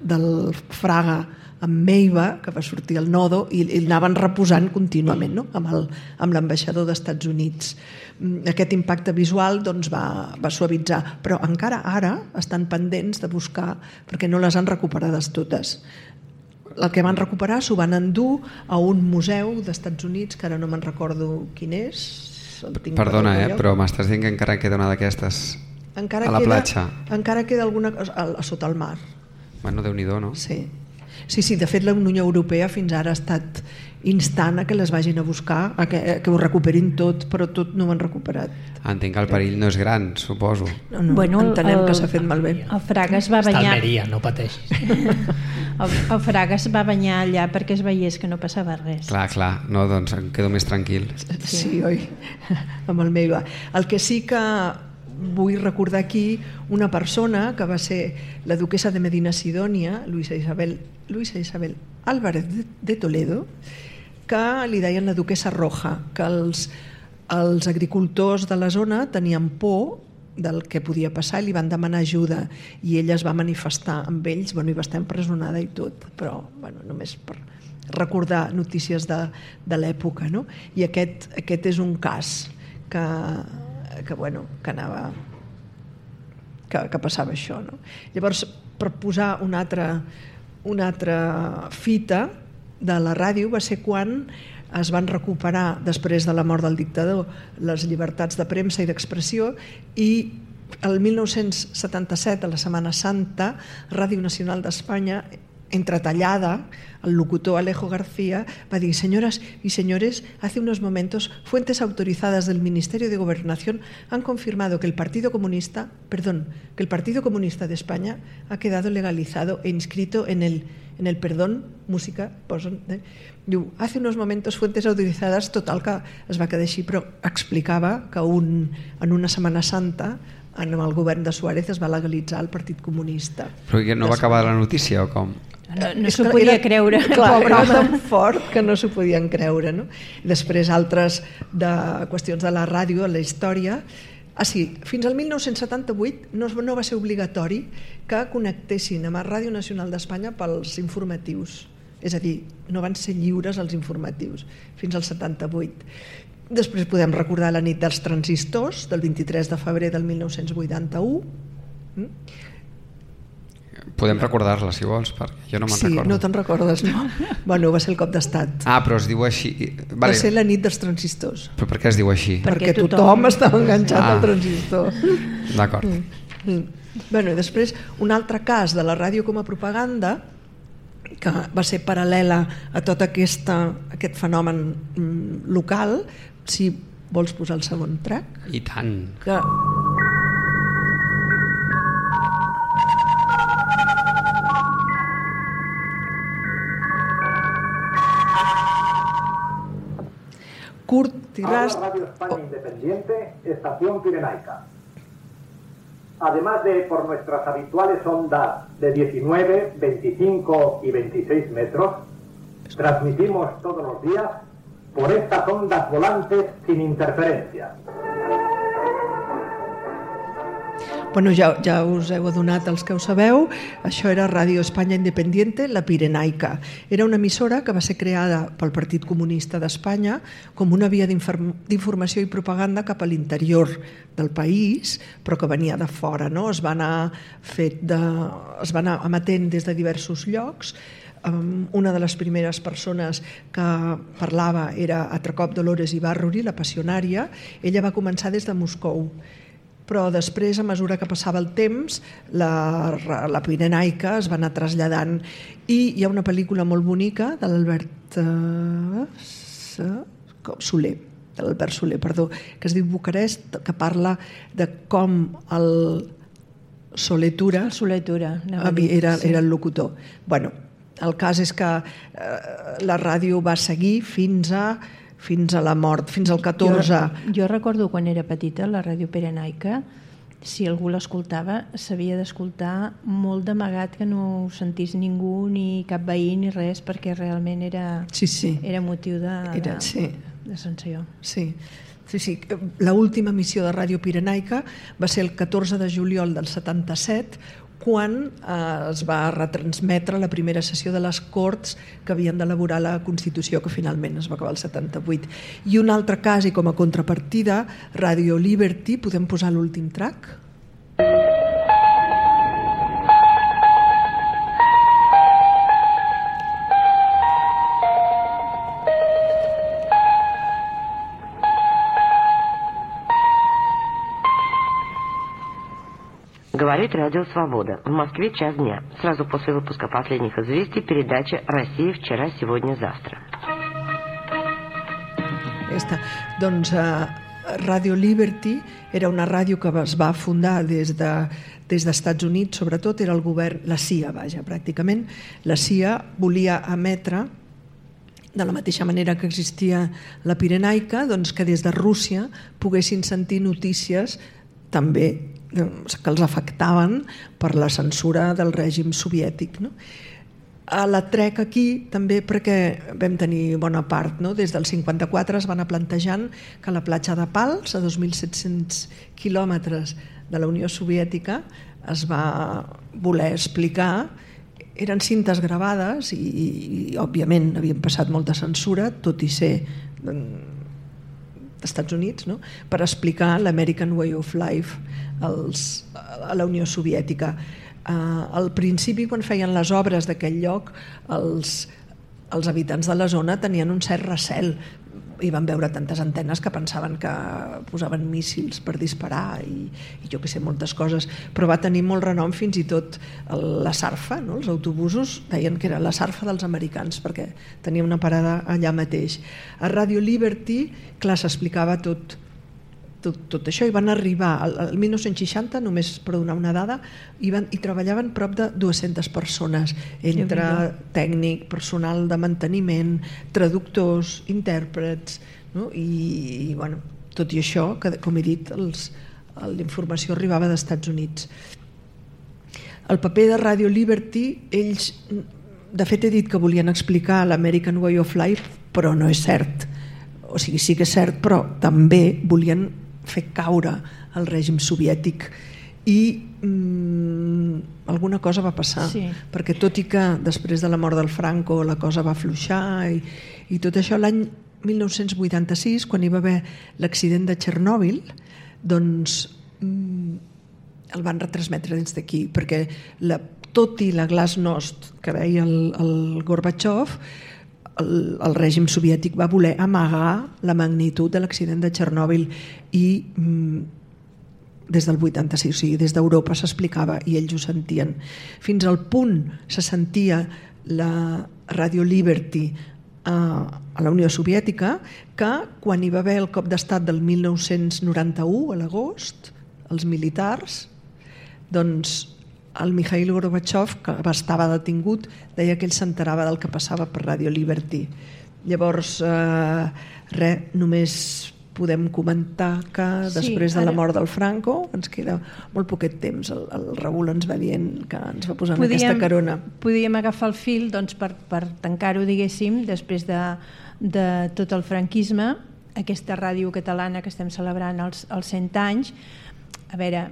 Speaker 4: del Fraga amb Meiva, que va sortir al Nodo i l'anaven reposant contínuament, no? amb l'ambaixador dels Estats Units. Aquest impacte visual doncs, va suavitzar, però encara ara estan pendents de buscar perquè no les han recuperades totes. El que van recuperar s'ho van endur a un museu dels Estats Units, que ara no me'n recordo quin és.
Speaker 2: Perdona, però m'estàs dient que encara queda una d'aquestes a la platja? Encara
Speaker 4: queda alguna cosa sota el mar.
Speaker 2: Bueno, Déu-n'hi-do, no?
Speaker 4: Sí, de fet la Unió Europea fins ara ha estat instant a que les vagin a buscar, a que ho recuperin tot, però tot no ho han recuperat.
Speaker 2: Entenc que el perill no és gran, suposo.
Speaker 4: No, entenem que s'ha fet malbé.
Speaker 6: El Fraga es va banyar...
Speaker 5: Està Almeria, no pateixis.
Speaker 6: El Fraga es va banyar allà perquè es veiés que no passava res.
Speaker 2: Clar, no, doncs em quedo més tranquil.
Speaker 4: Sí, oi? Amb el Meiva. El que sí que vull recordar aquí una persona que va ser la duquesa de Medina Sidònia, Luisa Isabel Álvarez de Toledo, que li deien la duquesa roja, que els agricultors de la zona tenien por del que podia passar i li van demanar ajuda i ella es va manifestar amb ells, i va estar empresonada i tot, però només per recordar notícies de l'època, no? I aquest és un cas que passava això, no? Llavors, per posar una altra fita de la ràdio va ser quan es van recuperar, després de la mort del dictador, les llibertats de premsa i d'expressió i el 1977, a la Setmana Santa, Ràdio Nacional d'Espanya, entretallada, el locutor Alejo García va dir: señoras y señores, hace unos momentos fuentes autorizadas del Ministerio de Gobernación han confirmado que el Partido Comunista de España ha quedado legalizado e inscrito en el música, diu, hace unos momentos fuentes autorizadas, total que es va quedar així, però explicava que en una Setmana Santa en el govern de Suárez es va legalitzar el Partit Comunista.
Speaker 2: Però no va acabar la notícia o com?
Speaker 6: No s'ho podia creure.
Speaker 4: Clar, era tan fort que no s'ho podien creure, no? Després altres qüestions de la ràdio, a la història. Fins al 1978 no va ser obligatori que connectessin amb la Ràdio Nacional d'Espanya pels informatius. És a dir, no van ser lliures els informatius fins al 78. Després podem recordar la nit dels transistors del 23 de febrer del 1981.
Speaker 2: Podem recordar-la, si vols, perquè jo no me'n recordo.
Speaker 4: Sí, no te'n recordes, no? Bueno, va ser el cop d'estat.
Speaker 2: Però es diu així.
Speaker 4: Va ser la nit dels transistors.
Speaker 2: Però per què es diu així?
Speaker 4: Perquè tothom estava enganxat al transistor.
Speaker 2: D'acord.
Speaker 4: Bueno, i després, un altre cas de la ràdio com a propaganda, que va ser paral·lela a tot aquest fenomen local. Si vols posar el segon track.
Speaker 2: I tant.
Speaker 7: Radio España Independiente, Estación Pirenaica. Además de por nuestras habituales ondas de 19, 25 y 26 metros, transmitimos todos los días por estas ondas volantes sin interferencia.
Speaker 4: Bueno, ja us heu adonat els que ho sabeu, això era Ràdio Espanya Independiente, la Pirenaica. Era una emissora que va ser creada pel Partit Comunista d'Espanya com una via d'informació i propaganda cap a l'interior del país, però que venia de fora, no? Es va anar emetent des de diversos llocs. Una de les primeres persones que parlava era Atracop Dolores Ibarruri, la passionària. Ella va començar des de Moscou, però després, a mesura que passava el temps, la Pirenaica es va anar traslladant, i hi ha una pel·lícula molt bonica de l'Albert Soler, que es diu Bucarest, que parla de com el Soletura era el locutor. Bueno, el cas és que la ràdio va seguir fins a la mort, fins al 14.
Speaker 6: Jo recordo quan era petita, la ràdio Pirenaica, si algú l'escoltava, s'havia d'escoltar molt d'amagat, que no ho sentís ningú, ni cap veí, ni res, perquè realment era motiu de sanció.
Speaker 4: Sí. L'última emissió de Ràdio Pirenaica va ser el 14 de juliol del 77, quan es va retransmetre la primera sessió de les Corts que havien d'elaborar la Constitució, que finalment es va acabar el 78. I un altre cas, i com a contrapartida, Radio Liberty. Podem posar l'últim track?
Speaker 8: Говорит Радио Свобода. В Москве час дня. Сразу после выпуска последних известий передача «Россия вчера, сегодня, завтра».
Speaker 4: Doncs Radio Liberty era una ràdio que es va fundar des d'Estats Units, sobretot era el govern, la CIA, pràcticament. La CIA volia emetre, de la mateixa manera que existia la Pirenaica, doncs que des de Rússia poguessin sentir notícies també que els afectaven per la censura del règim soviètic. La trec aquí també perquè vam tenir bona part. Des del 54 es va anar plantejant que la platja de Pals, a 2.700 quilòmetres de la Unió Soviètica, es va voler explicar. Eren cintes gravades i òbviament havien passat molta censura, tot i ser Estats Units, per explicar l'American Way of Life a la Unió Soviètica. Al principi, quan feien les obres d'aquell lloc, els habitants de la zona tenien un cert recel i van veure tantes antenes que pensaven que posaven míssils per disparar i jo que sé, moltes coses, però va tenir molt renom. Fins i tot la Sarfa, els autobusos deien que era la Sarfa dels americans perquè tenia una parada allà mateix. A Radio Liberty, clar, s'explicava tot això, i van arribar al 1960, només per donar una dada, i treballaven prop de 200 persones, entre tècnic, personal de manteniment, traductors, intèrprets, i tot i això, que com he dit, la informació arribava d'Estats Units. El paper de Radio Liberty, ells, de fet he dit que volien explicar l'American Way of Life, però no és cert. O sigui, sí que és cert, però també volien fer caure el règim soviètic i alguna cosa va passar, perquè tot i que després de la mort del Franco la cosa va afluixar i tot això, l'any 1986, quan hi va haver l'accident de Txernòbil, doncs el van retransmetre des d'aquí, perquè tot i la glasnost que veia el Gorbachev, el règim soviètic va voler amagar la magnitud de l'accident de Txernòbil i des del 86, o sigui, des d'Europa s'explicava i ells ho sentien. Fins al punt se sentia la Radio Liberty a la Unió Soviètica que quan hi va haver el cop d'estat del 1991, a l'agost, els militars, doncs el Mikhail Gorbachev, que estava detingut, deia que ell s'enterava del que passava per Radio Liberty. Llavors, només podem comentar que després de la mort del Franco ens queda molt poquet temps. El Raül ens va dient que ens va posar en aquesta carona.
Speaker 6: Podíem agafar el fil per tancar-ho, diguéssim, després de tot el franquisme, aquesta ràdio catalana que estem celebrant els 100 anys. A veure,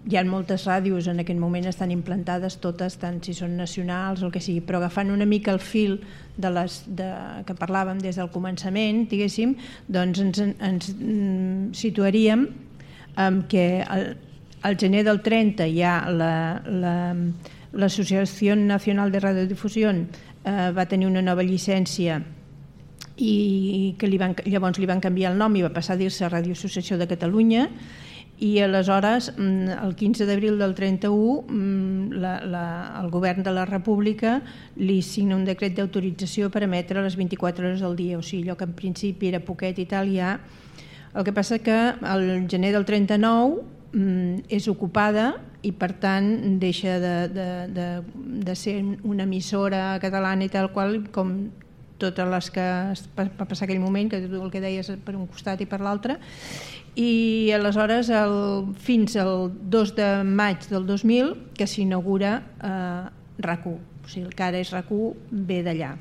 Speaker 6: hi ha moltes ràdios en aquest moment estan implantades totes, tant si són nacionals o el que sigui, però agafant una mica el fil que parlàvem des del començament, diguéssim, doncs ens situaríem que al gener del 30 hi ha l'Associació Nacional de Radiodifusión va tenir una nova llicència i que llavors li van canviar el nom i va passar a dir-se Ràdio Associació de Catalunya. I aleshores, el 15 d'abril del 31, el govern de la República li signa un decret d'autorització per emetre les 24 hores al dia, o sigui, allò que en principi era poquet i tal, ja. El que passa que el gener del 39 és ocupada i per tant deixa de ser una emissora catalana i tal qual, com totes les que va passar aquell moment, que tu el que deies per un costat i per l'altre. I aleshores fins al 2 de maig del 2000 que s'inaugura RAC1, o sigui, el que ara és RAC1 ve d'allà.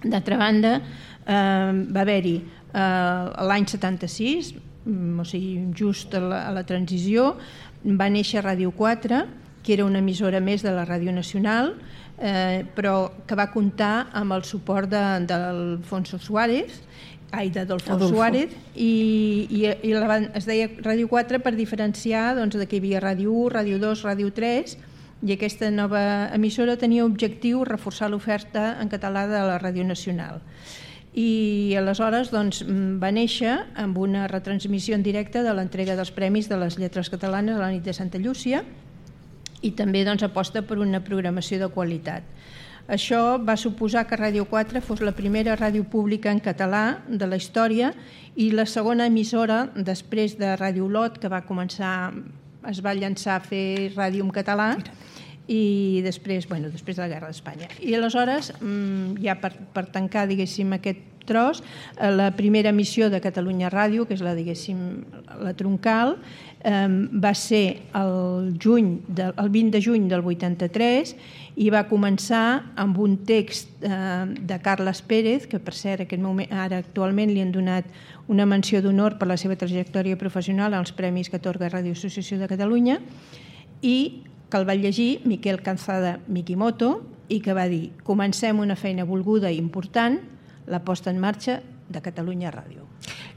Speaker 6: D'altra banda, va haver-hi l'any 76, o sigui, just a la transició, va néixer Ràdio 4, que era una emissora més de la Ràdio Nacional, però que va comptar amb el suport d'Adolfo Suárez, i es deia Ràdio 4 per diferenciar de que hi havia Ràdio 1, Ràdio 2, Ràdio 3, i aquesta nova emissora tenia objectiu reforçar l'oferta en català de la Ràdio Nacional. I aleshores va néixer amb una retransmissió en directe de l'entrega dels Premis de les Lletres Catalanes a la nit de Santa Llúcia i també aposta per una programació de qualitat. Això va suposar que Ràdio 4 fos la primera ràdio pública en català de la història i la segona emissora després de Ràdio Olot, que es va llançar a fer ràdio en català i després de la Guerra d'Espanya. I aleshores, ja per tancar, diguéssim, aquest tros, la primera emissió de Catalunya Ràdio, que és la troncal, va ser el 20 de juny del 83 i va començar amb un text de Carles Pérez, que per cert ara actualment li han donat una menció d'honor per la seva trajectòria professional als premis que atorga Ràdio Associació de Catalunya, i que el va llegir Miquel Calzada Mikimoto i que va dir: comencem una feina volguda i important, la posta en marxa de Catalunya Ràdio.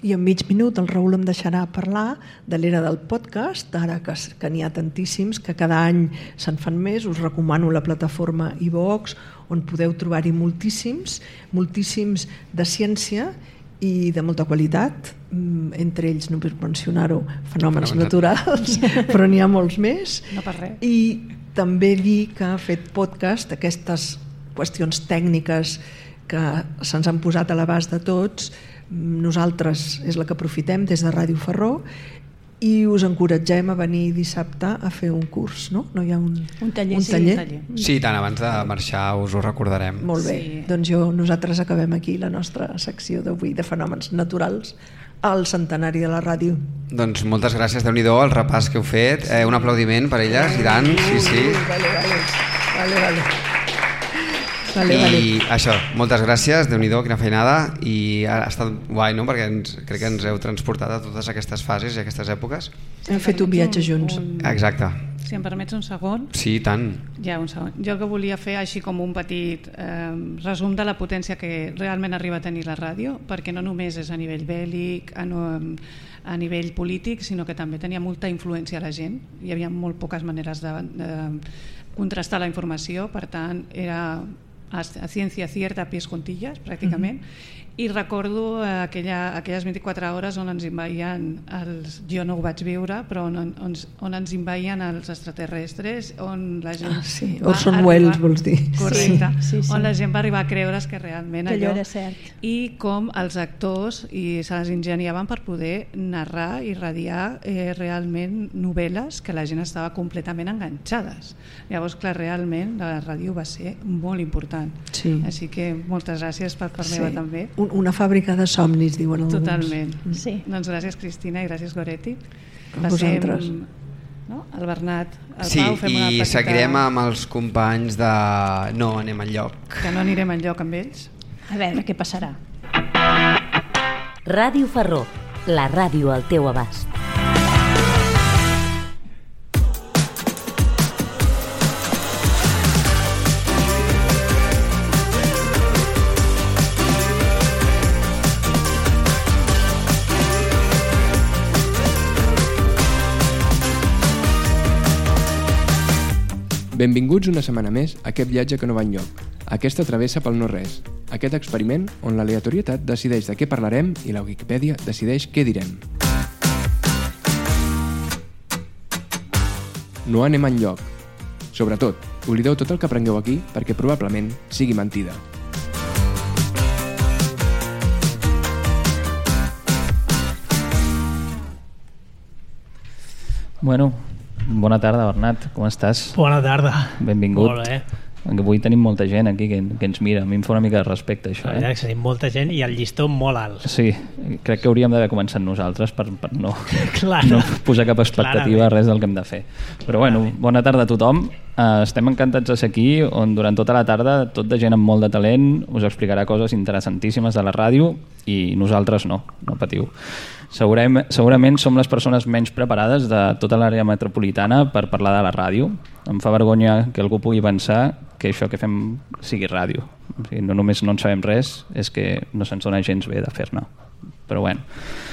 Speaker 4: I en mig minut el Raül em deixarà parlar de l'era del podcast, ara que n'hi ha tantíssims, que cada any se'n fan més. Us recomano la plataforma iVox, on podeu trobar-hi moltíssims de ciència i de molta qualitat, entre ells, només mencionar-ho, fenòmens naturals, però n'hi ha molts més.
Speaker 3: No per res.
Speaker 4: I també dir que ha fet podcast, aquestes qüestions tècniques que se'ns han posat a l'abast de tots, nosaltres és la que aprofitem des de Ràdio Farró, i us encoratgem a venir dissabte a fer un curs, no? No hi ha un taller?
Speaker 2: Sí, tant, abans de marxar us ho recordarem.
Speaker 4: Molt bé, doncs nosaltres acabem aquí la nostra secció d'avui de fenòmens naturals al centenari de la ràdio.
Speaker 2: Doncs moltes gràcies, Déu-n'hi-do, el repàs que heu fet. Un aplaudiment per elles, i tant, sí. I això, moltes gràcies, Déu-n'hi-do, quina feinada, i ha estat guai, no? Perquè crec que ens heu transportat a totes aquestes fases i aquestes èpoques.
Speaker 4: Hem fet un viatge junts.
Speaker 2: Exacte.
Speaker 3: Si em permets un segon.
Speaker 2: Sí, tant.
Speaker 3: Ja, un segon. Jo el que volia fer així com un petit resum de la potència que realment arriba a tenir la ràdio, perquè no només és a nivell bèl·lic, a nivell polític, sinó que també tenia molta influència a la gent. Hi havia molt poques maneres de contrastar la informació, per tant era a ciència cierta, a pies juntillas, pràcticament, I recordo aquelles 24 hores on ens envaïen jo no ho vaig viure, però on ens envaïen els extraterrestres, on la gent
Speaker 4: Orson Welles, vols dir.
Speaker 3: Correcte. Sí. On la gent va arribar a creure's que realment
Speaker 6: allò era cert.
Speaker 3: I com els actors se les ingeniaven per poder narrar i radiar realment novel·les que la gent estava completament enganxades. Llavors, clar, realment la ràdio va ser molt important.
Speaker 4: Sí.
Speaker 3: Així que moltes gràcies per part meva també.
Speaker 4: Una fàbrica de somnis, diuen alguns.
Speaker 3: Totalment.
Speaker 6: Sí.
Speaker 3: Doncs gràcies, Cristina, i gràcies, Goretti.
Speaker 4: A vosaltres.
Speaker 3: El Bernat, el
Speaker 2: sí,
Speaker 3: Pau, fem una
Speaker 2: i
Speaker 3: petita...
Speaker 2: seguirem amb els companys de No anem enlloc.
Speaker 3: Que no anirem enlloc amb ells.
Speaker 6: A veure què passarà.
Speaker 9: Ràdio Farró, la ràdio al teu abast.
Speaker 10: Benvinguts una setmana més a aquest viatge que no va enlloc, aquesta travessa pel no-res, aquest experiment on l'aleatorietat decideix de què parlarem i la Wikipedia decideix què direm. No anem enlloc. Sobretot, oblideu tot el que aprengueu aquí perquè probablement sigui mentida.
Speaker 11: Bueno, bona tarda, Bernat, com estàs?
Speaker 5: Bona tarda.
Speaker 11: Benvingut.
Speaker 5: Molt bé.
Speaker 11: Avui tenim molta gent aquí que ens mira. A mi em fa una mica de respecte, això.
Speaker 5: La veritat que tenim molta gent i el llistó molt alt.
Speaker 11: Sí, crec que hauríem d'haver començat nosaltres per no posar cap expectativa,
Speaker 5: Clarament.
Speaker 11: res del que hem de fer. Però bueno, bona tarda a tothom. Estem encantats de ser aquí, on durant tota la tarda tot de gent amb molt de talent us explicarà coses interessantíssimes de la ràdio i nosaltres no patiu. Segurament som les persones menys preparades de tota l'àrea metropolitana per parlar de la ràdio. Em fa vergonya que algú pugui pensar que això que fem sigui ràdio. O sigui, no només no en sabem res, és que no se'ns dona gens bé de fer-ne. Però bueno.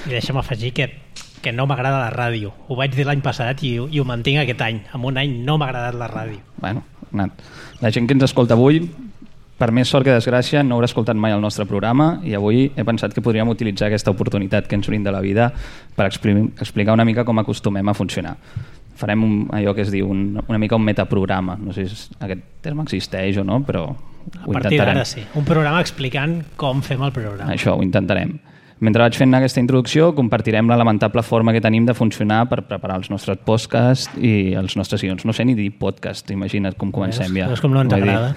Speaker 5: I deixa'm afegir que no m'agrada la ràdio. Ho vaig dir l'any passat i ho mantinc aquest any. En un any no m'ha agradat la ràdio.
Speaker 11: Bueno, la gent que ens escolta avui, per més sort que desgràcia, no haurà escoltat mai el nostre programa i avui he pensat que podríem utilitzar aquesta oportunitat que ens brinda la vida per explicar una mica com acostumem a funcionar. Farem allò que es diu una mica un metaprograma. No sé si aquest terme existeix o no, però ho intentarem.
Speaker 5: A partir d'ara sí. Un programa explicant com fem el programa.
Speaker 11: Això, ho intentarem. Mentre vaig fent aquesta introducció, compartirem la lamentable forma que tenim de funcionar per preparar els nostres podcasts i els nostres guions. No sé ni dir podcast, imagina't com comencem ja.
Speaker 5: És com no ens agrada.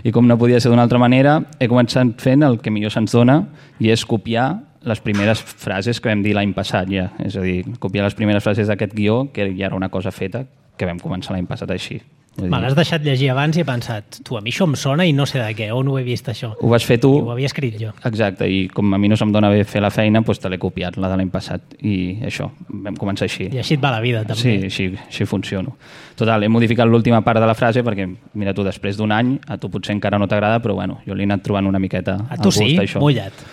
Speaker 11: I com no podia ser d'una altra manera, he començat fent el que millor se'ns dona i és copiar les primeres frases que vam dir l'any passat ja. És a dir, copiar les primeres frases d'aquest guió, que ja era una cosa feta, que vam començar l'any passat així.
Speaker 5: Me l'has deixat llegir abans i he pensat, a mi això em sona i no sé de què, on ho he vist això.
Speaker 11: Ho vas fer tu.
Speaker 5: I ho havia escrit jo.
Speaker 11: Exacte, i com a mi no se'm dona bé fer la feina, doncs te l'he copiat, la de l'any passat, i això, vam començar així.
Speaker 5: I així et va la vida, també.
Speaker 11: Sí, així funciono. Total, he modificat l'última part de la frase perquè, mira tu, després d'un any, a tu potser encara no t'agrada, però bueno, jo l'he anat trobant una miqueta
Speaker 5: a tu
Speaker 11: gust,
Speaker 5: sí?
Speaker 11: Això.
Speaker 5: Mullat.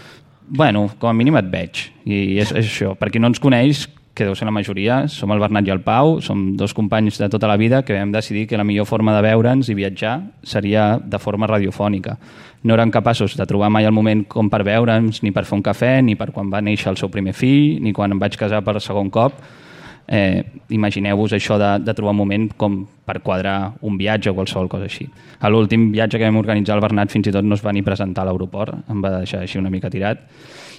Speaker 11: Bueno, com a mínim et veig, i és això. Per qui no ens coneix, que deu ser la majoria, som el Bernat i el Pau, som dos companys de tota la vida que vam decidir que la millor forma de veure'ns i viatjar seria de forma radiofònica. No érem capaços de trobar mai el moment com per veure'ns, ni per fer un cafè, ni per quan va néixer el seu primer fill, ni quan em vaig casar per segon cop. Imagineu-vos això de trobar un moment com per quadrar un viatge o qualsevol cosa així. A l'últim viatge que vam organitzar el Bernat fins i tot no es va ni presentar a l'aeroport, em va deixar així una mica tirat.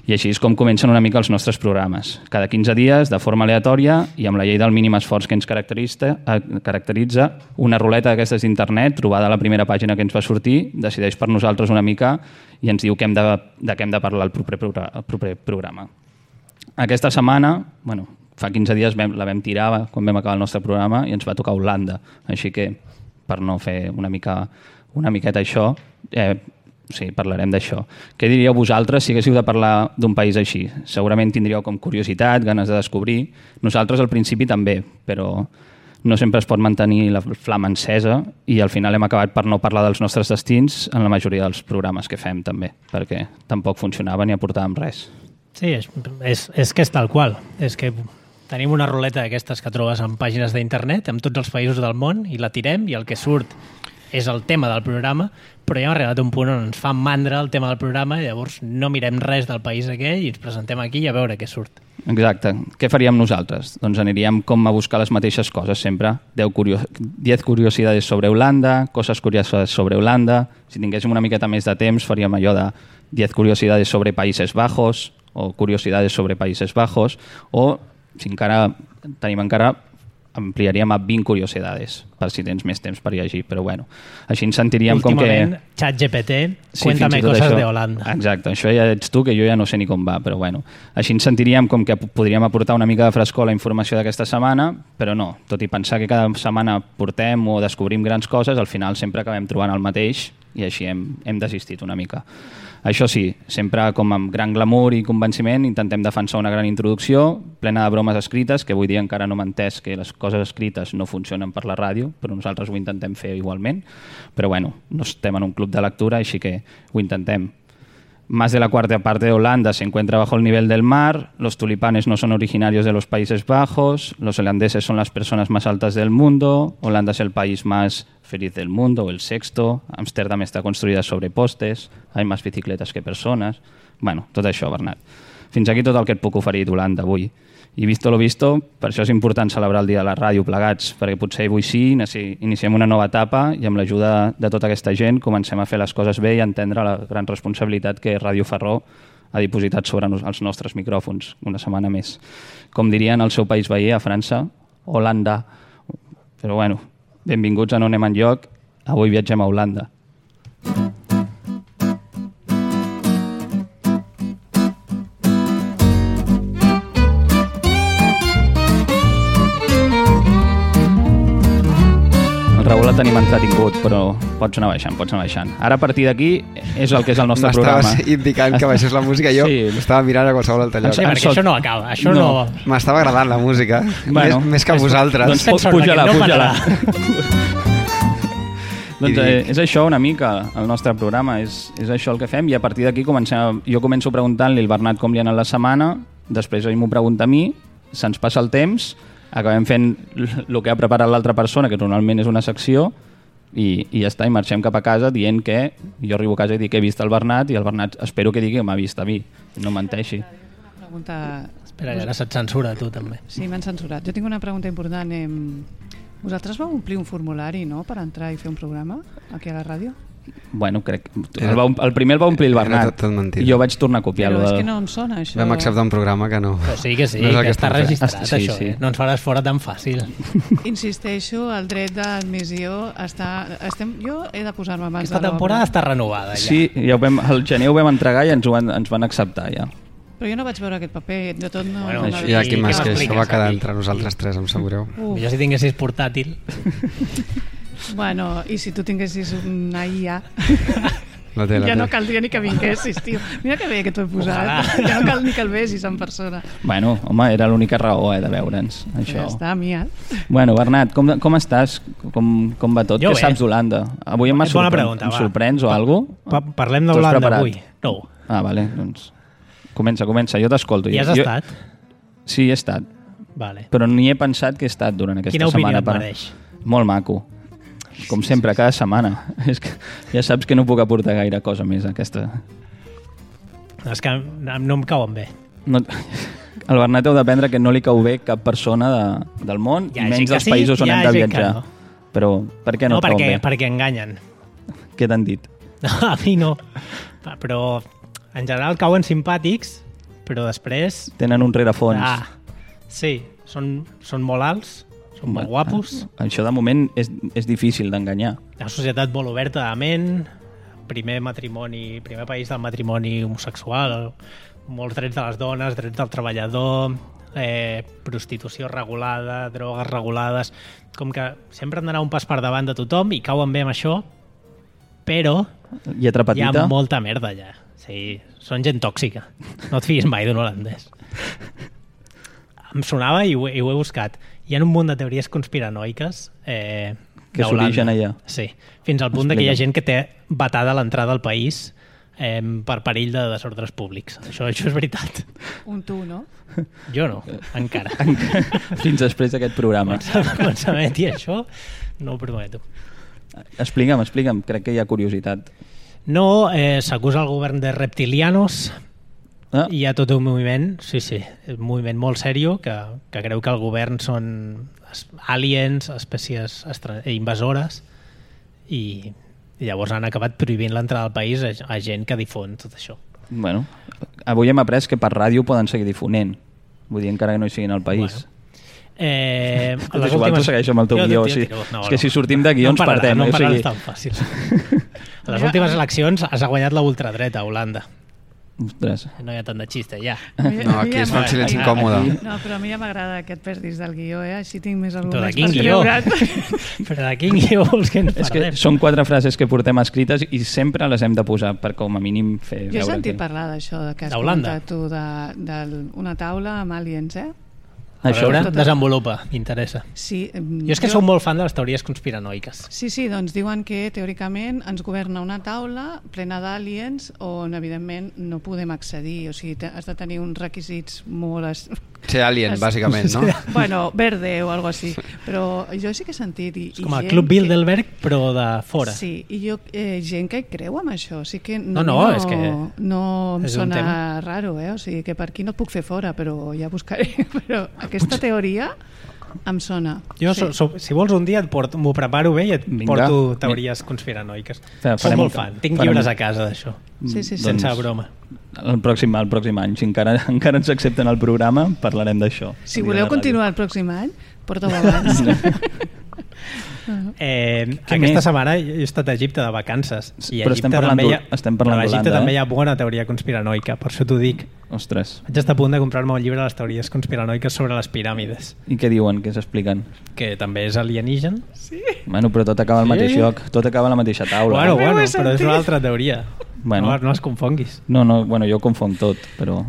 Speaker 11: I així és com comencen una mica els nostres programes. Cada 15 dies, de forma aleatòria i amb la llei del mínim esforç que ens caracteritza, una ruleta d'aquestes d'internet, trobada a la primera pàgina que ens va sortir, decideix per nosaltres una mica i ens diu de què hem de parlar el proper programa. Aquesta setmana, fa 15 dies la vam tirar quan vam acabar el nostre programa i ens va tocar Holanda. Així que, per no fer una miqueta això, sí, parlarem d'això. Què diríeu vosaltres si haguéssiu de parlar d'un país així? Segurament tindríeu com curiositat, ganes de descobrir. Nosaltres al principi també, però no sempre es pot mantenir la flama encesa i al final hem acabat per no parlar dels nostres destins en la majoria dels programes que fem també, perquè tampoc funcionava ni aportàvem res.
Speaker 5: Sí, és que és tal qual. És que tenim una ruleta d'aquestes que trobes en pàgines d'internet amb tots els països del món i la tirem i el que surt és el tema del programa, però ja hem arribat a un punt on ens fa mandra el tema del programa i llavors no mirem res del país aquell i ens presentem aquí i a veure què surt.
Speaker 11: Exacte. Què faríem nosaltres? Doncs aniríem com a buscar les mateixes coses sempre. 10 curiosidades sobre Holanda, coses curioses sobre Holanda. Si tinguéssim una miqueta més de temps faríem allò de 10 curiosidades sobre Países Bajos o curiosidades sobre Países Bajos, o si encara tenim ampliaríem a 20 curiosidades, per si tens més temps per llegir, però bueno, així ens sentiríem com que...
Speaker 5: Últimament, ChatGPT, cuéntame coses de Holanda.
Speaker 11: Exacte, això ja ets tu, que jo ja no sé ni com va, però bueno, així ens sentiríem com que podríem aportar una mica de frescor a la informació d'aquesta setmana, però no, tot i pensar que cada setmana portem o descobrim grans coses, al final sempre acabem trobant el mateix i així hem desistit una mica. Això sí, sempre com amb gran glamour i convenciment intentem defensar una gran introducció plena de bromes escrites, que avui dia encara no m'he entès que les coses escrites no funcionen per la ràdio, però nosaltres ho intentem fer igualment. Però bueno, no estem en un club de lectura, així que ho intentem. Más de la cuarta parte de Holanda se encuentra bajo el nivel del mar, los tulipanes no son originarios de los Países Bajos, los holandeses son las personas más altas del mundo, Holanda es el país más feliz del mundo, o el sexto, Amsterdam está construida sobre postes, hay más bicicletas que persones... Bueno, tot això, Bernat. Fins aquí tot el que et puc oferir d'Holanda avui. I visto lo visto, per això és important celebrar el dia de la ràdio plegats, perquè potser avui sí iniciem una nova etapa i amb l'ajuda de tota aquesta gent comencem a fer les coses bé i a entendre la gran responsabilitat que Ràdio Ferró ha dipositat sobre els nostres micròfons una setmana més. Com dirien al seu país veí, a França, Holanda. Però bueno, benvinguts a No anem enlloc, avui viatgem a Holanda. Raül el tenim entretingut, però pots anar baixant. Ara, a partir d'aquí, és el que és el nostre programa.
Speaker 2: M'estaves indicant que baixés la música, jo estava mirant a qualsevol altre lloc.
Speaker 5: Sí, perquè això no acaba, això no...
Speaker 2: M'estava agradant la música, més que vosaltres.
Speaker 11: Doncs puja-la. Doncs és això una mica el nostre programa, és això el que fem, i a partir d'aquí jo començo preguntant-li al Bernat com li ha anat la setmana, després ell m'ho pregunta a mi, se'ns passa el temps, acabem fent el que ha preparat l'altra persona, que normalment és una secció, i ja està, i marxem cap a casa dient que jo arribo a casa i dic que he vist el Bernat, i el Bernat espero que digui que m'ha vist a mi, no menteixi.
Speaker 5: Espera, ara se't censura tu també.
Speaker 3: Sí, m'han censurat. Jo tinc una pregunta important. Vosaltres vau omplir un formulari, no?, per entrar i fer un programa aquí a la ràdio?
Speaker 11: Bueno, crec que el primer el va omplir el Bernat i jo vaig tornar a copiar-lo.
Speaker 3: Però és que no em sona, això.
Speaker 2: Vam acceptar un programa que no...
Speaker 5: Però sí, que està registrat, això. No ens faràs fora tan fàcil.
Speaker 3: Insisteixo, el dret d'admissió està... Jo he de posar-me abans de l'obra.
Speaker 5: Aquesta temporada està renovada, ja.
Speaker 11: Sí, al gener ho vam entregar i ens van acceptar, ja.
Speaker 3: Però jo no vaig veure aquest paper, de tot no...
Speaker 2: I aquí més que això va quedar entre nosaltres tres, em sap greu.
Speaker 5: Millor si tinguessis portàtil.
Speaker 3: Bueno, i si tu tinguessis una IA,
Speaker 2: ja
Speaker 3: no caldria ni que vinguessis, tio. Mira que bé que t'ho he posat. Ja no cal ni que el vesis en persona.
Speaker 11: Bueno, home, era l'única raó de veure'ns, això.
Speaker 3: Ja està, Mia.
Speaker 11: Bueno, Bernat, com estàs? Com va tot? Què saps d'Holanda? Avui em sorprens o alguna cosa?
Speaker 5: Parlem d'Holanda avui. No.
Speaker 11: Ah, vale, doncs... Comença, jo t'escolto.
Speaker 5: I has estat?
Speaker 11: Sí, he estat.
Speaker 5: Vale.
Speaker 11: Però ni he pensat que he estat durant aquesta setmana.
Speaker 5: Quina opinió et mereix?
Speaker 11: Molt maco. Com sempre, cada setmana. És que ja saps que no puc aportar gaire cosa més a aquesta.
Speaker 5: És que no em cauen bé.
Speaker 11: No, el Bernat heu d'aprendre que no li cau bé cap persona del món, i menys dels països on hem de viatjar. Però per què no et cau bé?
Speaker 5: Perquè enganyen.
Speaker 11: Què t'han dit?
Speaker 5: No, a mi no. Però en general cauen simpàtics, però després...
Speaker 11: Tenen un rerefons.
Speaker 5: Sí, són molt alts, són molt guapos.
Speaker 11: Això de moment és difícil d'enganyar.
Speaker 5: Una societat molt oberta de ment, primer país del matrimoni homosexual, molts drets de les dones, drets del treballador, prostitució regulada, drogues regulades, com que sempre han d'anar un pas per davant de tothom i cauen bé amb això, però hi ha molta merda allà. Sí, són gent tòxica. No et fiïs mai d'un holandès. Em sonava i ho he buscat. Hi ha un munt de teories conspiranoiques
Speaker 11: que s'origen allà.
Speaker 5: Sí, fins al punt que hi ha gent que té vetada l'entrada al país per perill de desordres públics. Això és veritat.
Speaker 3: Un tu, no?
Speaker 5: Jo no, encara.
Speaker 11: Fins després d'aquest programa.
Speaker 5: Quan s'emeti això, no ho prometo.
Speaker 11: Explique'm, crec que hi ha curiositat.
Speaker 5: No, s'acusa el govern de reptilianos. Hi ha tot un moviment, sí, un moviment molt seriós que creu que el govern són aliens, espècies invasores, i llavors han acabat prohibint l'entrada al país a gent que difon tot això.
Speaker 11: Bueno, avui hem après que per ràdio poden seguir difonent, vull dir, encara que no hi siguin al país.
Speaker 5: Les
Speaker 11: igual tu segueixo amb el teu guió, és que si sortim de guió ens perdem.
Speaker 5: No em parlaràs tan fàcil. A les últimes eleccions has guanyat la ultradreta a Holanda.
Speaker 11: Ostres.
Speaker 5: No hi ha tant de xiste, ja.
Speaker 2: No, aquí es fa un silenci incòmode.
Speaker 3: No, però a mi ja m'agrada aquest perdis del guió, així tinc més arguments
Speaker 5: per creure't. Però de quin guió vols que ens parlem?
Speaker 11: És que són 4 frases que portem escrites i sempre les hem de posar per com a mínim fer veure.
Speaker 3: Jo he sentit parlar d'això, que has comentat tu d'una taula amb aliens,
Speaker 5: A veure, desenvolupa, m'interessa.
Speaker 3: Sí,
Speaker 5: jo és que sóc molt fan de les teories conspiranoiques.
Speaker 3: Sí, doncs diuen que teòricament ens governa una taula plena d'aliens on evidentment no podem accedir, o sigui, has de tenir uns requisits molt...
Speaker 2: Ser alien, bàsicament, no?
Speaker 3: Bueno, verde o alguna cosa així, però jo sí que he sentit...
Speaker 5: És com el Club Bilderberg, però de fora.
Speaker 3: Sí, i gent que creu en això, sí que
Speaker 5: no, és que
Speaker 3: no em sona raro, o sigui, que per aquí no et puc fer fora, però ja buscaré, però aquesta teoria em sona.
Speaker 5: Jo, si vols un dia m'ho preparo bé i et porto teories conspiranoiques. Soc molt fan, tinc llibres a casa d'això.
Speaker 3: Sí.
Speaker 5: Sense broma.
Speaker 11: El pròxim any, si encara ens accepten el programa, parlarem d'això.
Speaker 3: Si voleu continuar el pròxim any, porteu abans.
Speaker 5: Aquesta setmana he estat a Egipte de vacances i a Egipte també hi ha bona teoria conspiranoica, per això t'ho dic.
Speaker 11: Ostres.
Speaker 5: Vaig estar a punt de comprar-me un llibre de les teories conspiranoiques sobre les piràmides.
Speaker 11: I què diuen, què s'expliquen?
Speaker 5: Que també és alienígen.
Speaker 3: Sí.
Speaker 11: Bueno, però tot acaba al mateix lloc, tot acaba a la mateixa taula.
Speaker 5: Bueno, però és una altra teoria.
Speaker 11: Bueno.
Speaker 5: No es confonguis.
Speaker 11: No, jo confonc tot, però...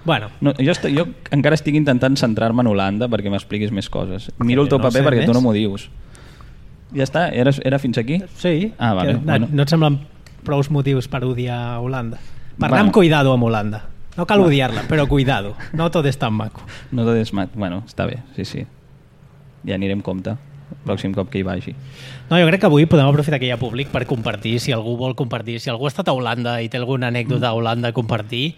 Speaker 5: Bueno.
Speaker 11: No, jo encara estic intentant centrar-me en Holanda perquè m'expliquis més coses. Miro el teu paper perquè tu no m'ho dius. Ja està? Era fins aquí?
Speaker 5: Sí.
Speaker 11: Ah, vale.
Speaker 5: No et semblen prou motius per odiar Holanda? Parlar amb cuidado amb Holanda. No cal odiar-la, però cuidado. No tot és tan maco.
Speaker 11: No tot és maco. Bueno, està bé, sí. Ja anirem compte el pròxim cop que hi vagi.
Speaker 5: No, jo crec que avui podem aprofitar que hi ha públic per compartir, si algú vol compartir. Si algú ha estat a Holanda i té alguna anècdota a Holanda a compartir...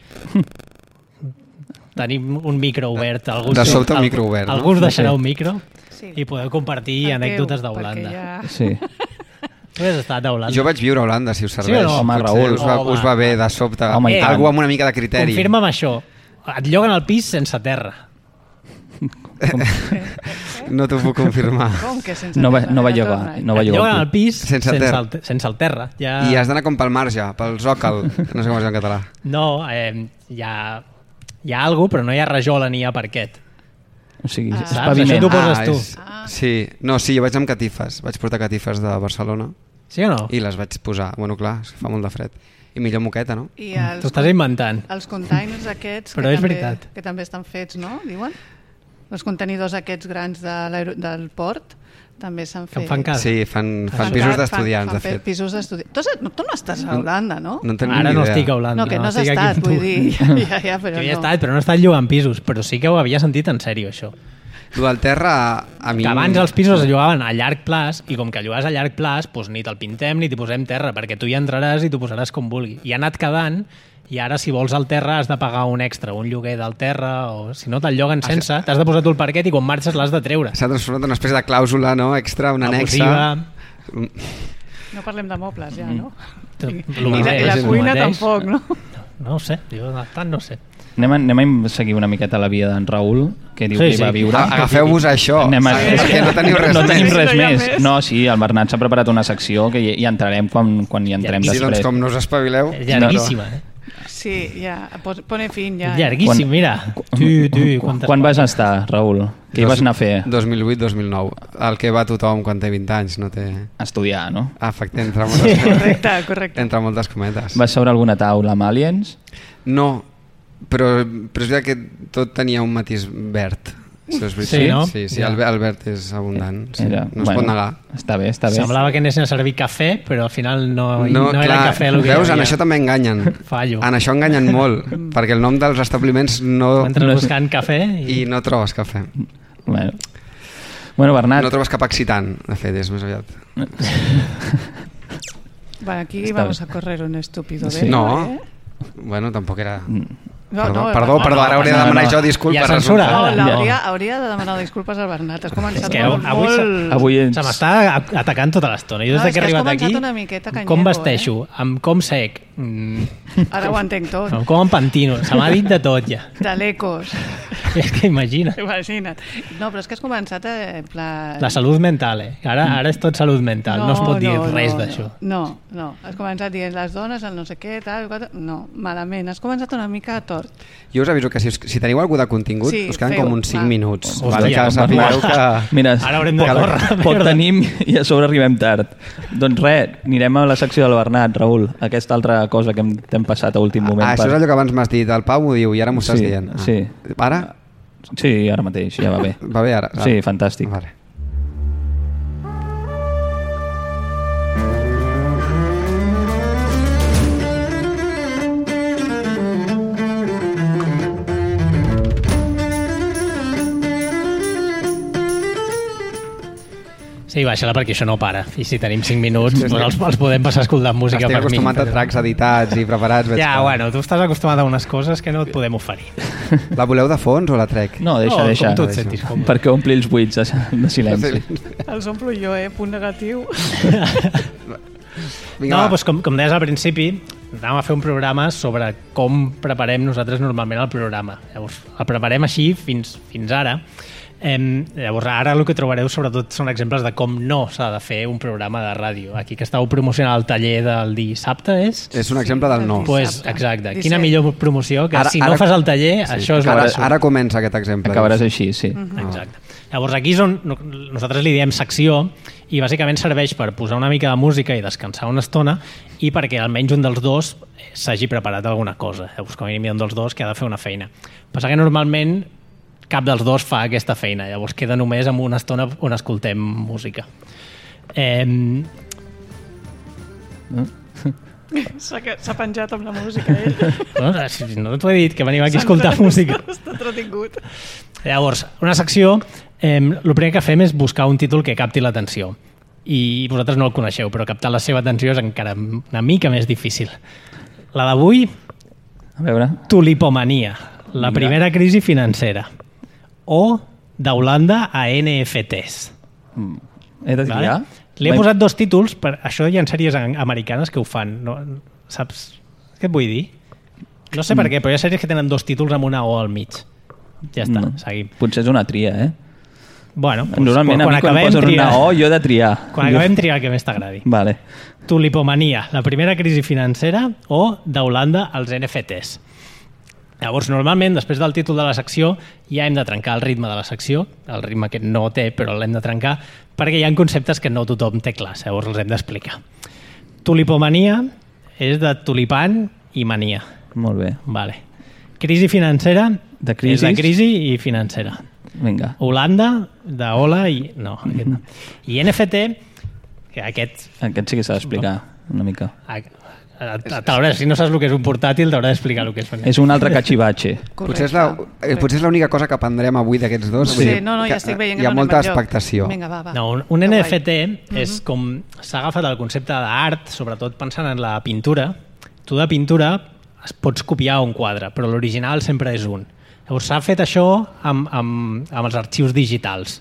Speaker 5: Tenim un micro obert.
Speaker 2: De sobte un micro obert.
Speaker 5: Algú us deixarà un micro i podeu compartir anècdotes d'Holanda.
Speaker 11: Sí.
Speaker 5: Tu has estat a Holanda?
Speaker 2: Jo vaig viure a Holanda, si us serveix.
Speaker 5: Sí o no?
Speaker 11: Home, Raül.
Speaker 2: Us va bé de sobte. Algú amb una mica de criteri.
Speaker 5: Confirma'm això. Et lloguen al pis sense terra.
Speaker 2: No t'ho puc confirmar.
Speaker 3: Com que sense
Speaker 11: terra?
Speaker 3: No
Speaker 11: va llogar.
Speaker 5: Et lloguen al pis sense el terra.
Speaker 2: I has d'anar com pel marge, pel zòcal. No sé com es diu en català.
Speaker 5: No, hi ha alguna cosa, però no hi ha rajola ni hi ha parquet.
Speaker 11: O sigui, és
Speaker 5: paviment. Això t'ho poses tu.
Speaker 2: Sí, jo vaig amb catifes. Vaig portar catifes de Barcelona.
Speaker 5: Sí o no?
Speaker 2: I les vaig posar. Bueno, clar, fa molt de fred. I millor moqueta, no?
Speaker 5: T'ho estàs inventant.
Speaker 3: Els containers aquests
Speaker 5: però és veritat.
Speaker 3: Que també estan fets, no? Diuen? Els contenidors aquests grans del port també s'han fet.
Speaker 5: Que fan casa.
Speaker 2: Sí, fan pisos d'estudiants, de fet.
Speaker 3: Fan pisos d'estudiants. Tu no estàs a Holanda, no?
Speaker 5: Ara no estic a Holanda.
Speaker 3: No, que no has estat, vull dir. Ja, però
Speaker 5: jo hi he estat, però no he estat llogant pisos. Però sí que ho havia sentit en sèrio, això.
Speaker 2: Tu al terra, a mi...
Speaker 5: Que abans els pisos es llogaven a llarg plaç i com que llogaves a llarg plaç, doncs ni te'l pintem ni t'hi posem terra, perquè tu hi entraràs i t'ho posaràs com vulgui. I ha anat quedant, i ara si vols al terra has de pagar un extra, un lloguer del terra, o si no te'l lloguen sense, t'has de posar tu el parquet i quan marxes l'has de treure.
Speaker 2: S'ha transformat en una espècie de clàusula, no?, extra, una anexa.
Speaker 3: No parlem de mobles ja, no?
Speaker 5: I
Speaker 3: la cuina tampoc, no?
Speaker 5: No ho sé, jo tant no sé.
Speaker 11: Anem a seguir una miqueta la via d'en Raül, que diu que hi va viure.
Speaker 2: Agafeu-vos això, perquè no teniu res més.
Speaker 11: No tenim res més. No, sí, el Bernat s'ha preparat una secció que hi entrarem quan hi entrem després.
Speaker 2: Sí, doncs com no us espavileu...
Speaker 5: Llarguíssima,
Speaker 3: Sí, ja, pone fin, ja.
Speaker 5: Llarguíssim, mira.
Speaker 11: Quan vas estar, Raül? Què hi vas anar a fer?
Speaker 2: 2008-2009. El que va tothom quan té 20 anys, no té...
Speaker 11: Estudiar, no?
Speaker 2: Efecte, entre moltes cometes.
Speaker 3: Correcte.
Speaker 2: Entre moltes cometes.
Speaker 11: Vas seure alguna taula amb aliens?
Speaker 2: No, però és veritat que tot tenia un matís verd.
Speaker 5: Sí, no?
Speaker 2: Sí, el verd és abundant. Sí. No es pot negar.
Speaker 11: Està bé.
Speaker 5: Semblava que anessin a servir cafè, però al final no era cafè el que
Speaker 2: veus, en això també enganyen.
Speaker 5: Fallo.
Speaker 2: En això enganyen molt, perquè el nom dels establiments no...
Speaker 5: Entres buscant cafè
Speaker 2: i no trobes cafè.
Speaker 11: Bueno. Bueno, Bernat...
Speaker 2: No trobes cap excitant, de fet, és més aviat.
Speaker 3: Bueno, aquí vamos a correr un estúpido
Speaker 2: sí. No, bueno, tampoc era... Perdó, ara hauria de demanar jo disculpes.
Speaker 5: Ja censura.
Speaker 3: Hauria de demanar disculpes al Bernat. Has començat
Speaker 5: avui se m'està atacant tota l'estona. Jo des que he arribat aquí, com vesteixo, amb com sec...
Speaker 3: Ara ho entenc tot.
Speaker 5: Com em pantino, se m'ha dit de tot ja.
Speaker 3: De l'ecos.
Speaker 5: És que imagina't.
Speaker 3: No, però és que has començat en plan...
Speaker 5: La salut mental, Ara és tot salut mental, no es pot dir res d'això.
Speaker 3: No, has començat dient les dones, el no sé què, tal... No, malament, has començat una mica a tort.
Speaker 2: Jo us aviso que si teniu algú de contingut, us queden com uns 5 minuts.
Speaker 11: Vale, que sapigueu que... Mira,
Speaker 5: ara haurem de córrer.
Speaker 11: Pot tenim i a sobre arribem tard. Doncs res, anirem a la secció del Bernat, Raül, aquesta altra cosa que t'hem passat a últim moment.
Speaker 2: Això és allò que abans m'has dit, el Pau m'ho diu i ara m'ho estàs dient.
Speaker 11: Sí.
Speaker 2: Ara?
Speaker 11: Sí, ara mateix, ja va bé.
Speaker 2: Va bé ara?
Speaker 11: Sí, fantàstic.
Speaker 2: Vale.
Speaker 5: Sí, baixa-la perquè això no para. I si tenim 5 minuts, els podem passar escoltant música per mi.
Speaker 2: Estic acostumat a tracks editats i preparats.
Speaker 5: Ja, bueno, tu estàs acostumat a unes coses que no et podem oferir.
Speaker 2: La voleu de fons o la trec?
Speaker 11: No, deixa.
Speaker 5: Com tu et sentis còmode.
Speaker 11: Perquè ompli els buits de silenci.
Speaker 3: Els omplo jo, punt negatiu.
Speaker 5: No, doncs com deies al principi, anàvem a fer un programa sobre com preparem nosaltres normalment el programa. Llavors, el preparem així fins ara. Llavors ara el que trobareu sobretot són exemples de com no s'ha de fer un programa de ràdio. Aquí que estàveu promocionant el taller del dissabte és
Speaker 2: un exemple del no.
Speaker 5: Pues, exacte, quina millor promoció que si no fas el taller, això és
Speaker 2: ara comença aquest exemple.
Speaker 11: Acabaràs així, sí.
Speaker 5: Exacte. Llavors aquí és on nosaltres li diem secció i bàsicament serveix per posar una mica de música i descansar una estona i perquè almenys un dels dos s'hagi preparat alguna cosa. Llavors com a mínim hi ha un dels dos que ha de fer una feina. Passa que normalment cap dels dos fa aquesta feina, llavors queda només amb una estona on escoltem música.
Speaker 3: S'ha penjat amb la música,
Speaker 5: No t'ho he dit, que venim aquí a escoltar música.
Speaker 3: Està entretingut.
Speaker 5: Llavors, una secció, el primer que fem és buscar un títol que capti l'atenció. I vosaltres no el coneixeu, però captar la seva atenció és encara una mica més difícil. La d'avui,
Speaker 11: a veure,
Speaker 5: tulipomania, la primera crisi financera. O d'Holanda a NFTs.
Speaker 11: He de triar?
Speaker 5: Li he posat 2 títols, per això hi ha sèries americanes que ho fan. No, saps què et vull dir? No sé per què, però hi ha sèries que tenen 2 títols amb una O al mig. Ja està, seguim.
Speaker 11: Potser és una tria,
Speaker 5: Bueno,
Speaker 11: normalment quan a mi quan posen una O jo he de triar.
Speaker 5: Quan acabem triar el que més t'agradi.
Speaker 11: Vale.
Speaker 5: Tulipomania, la primera crisi financera o d'Holanda als NFTs. Llavors, normalment, després del títol de la secció, ja hem de trencar el ritme de la secció, el ritme que no té, però l'hem de trencar, perquè hi ha conceptes que no tothom té clars, llavors els hem d'explicar. Tulipomania és de tulipan i mania.
Speaker 11: Molt bé.
Speaker 5: Vale. Crisi financera és de crisi i financera.
Speaker 11: Vinga.
Speaker 5: Holanda, de hola i... No, aquest no. I NFT, que aquest...
Speaker 11: Aquest sí que s'ha d'explicar una mica.
Speaker 5: Si no saps el que és un portàtil, t'haurà d'explicar el que és.
Speaker 11: És un altre cachivache.
Speaker 2: Potser és l'única cosa que aprendrem avui d'aquests dos.
Speaker 3: Sí, ja estic veient que
Speaker 2: hi ha molta expectació.
Speaker 3: Vinga, va.
Speaker 5: No, un NFT és com s'ha agafat el concepte d'art, sobretot pensant en la pintura. Tu de pintura es pots copiar un quadre, però l'original sempre és un. Llavors s'ha fet això amb els arxius digitals.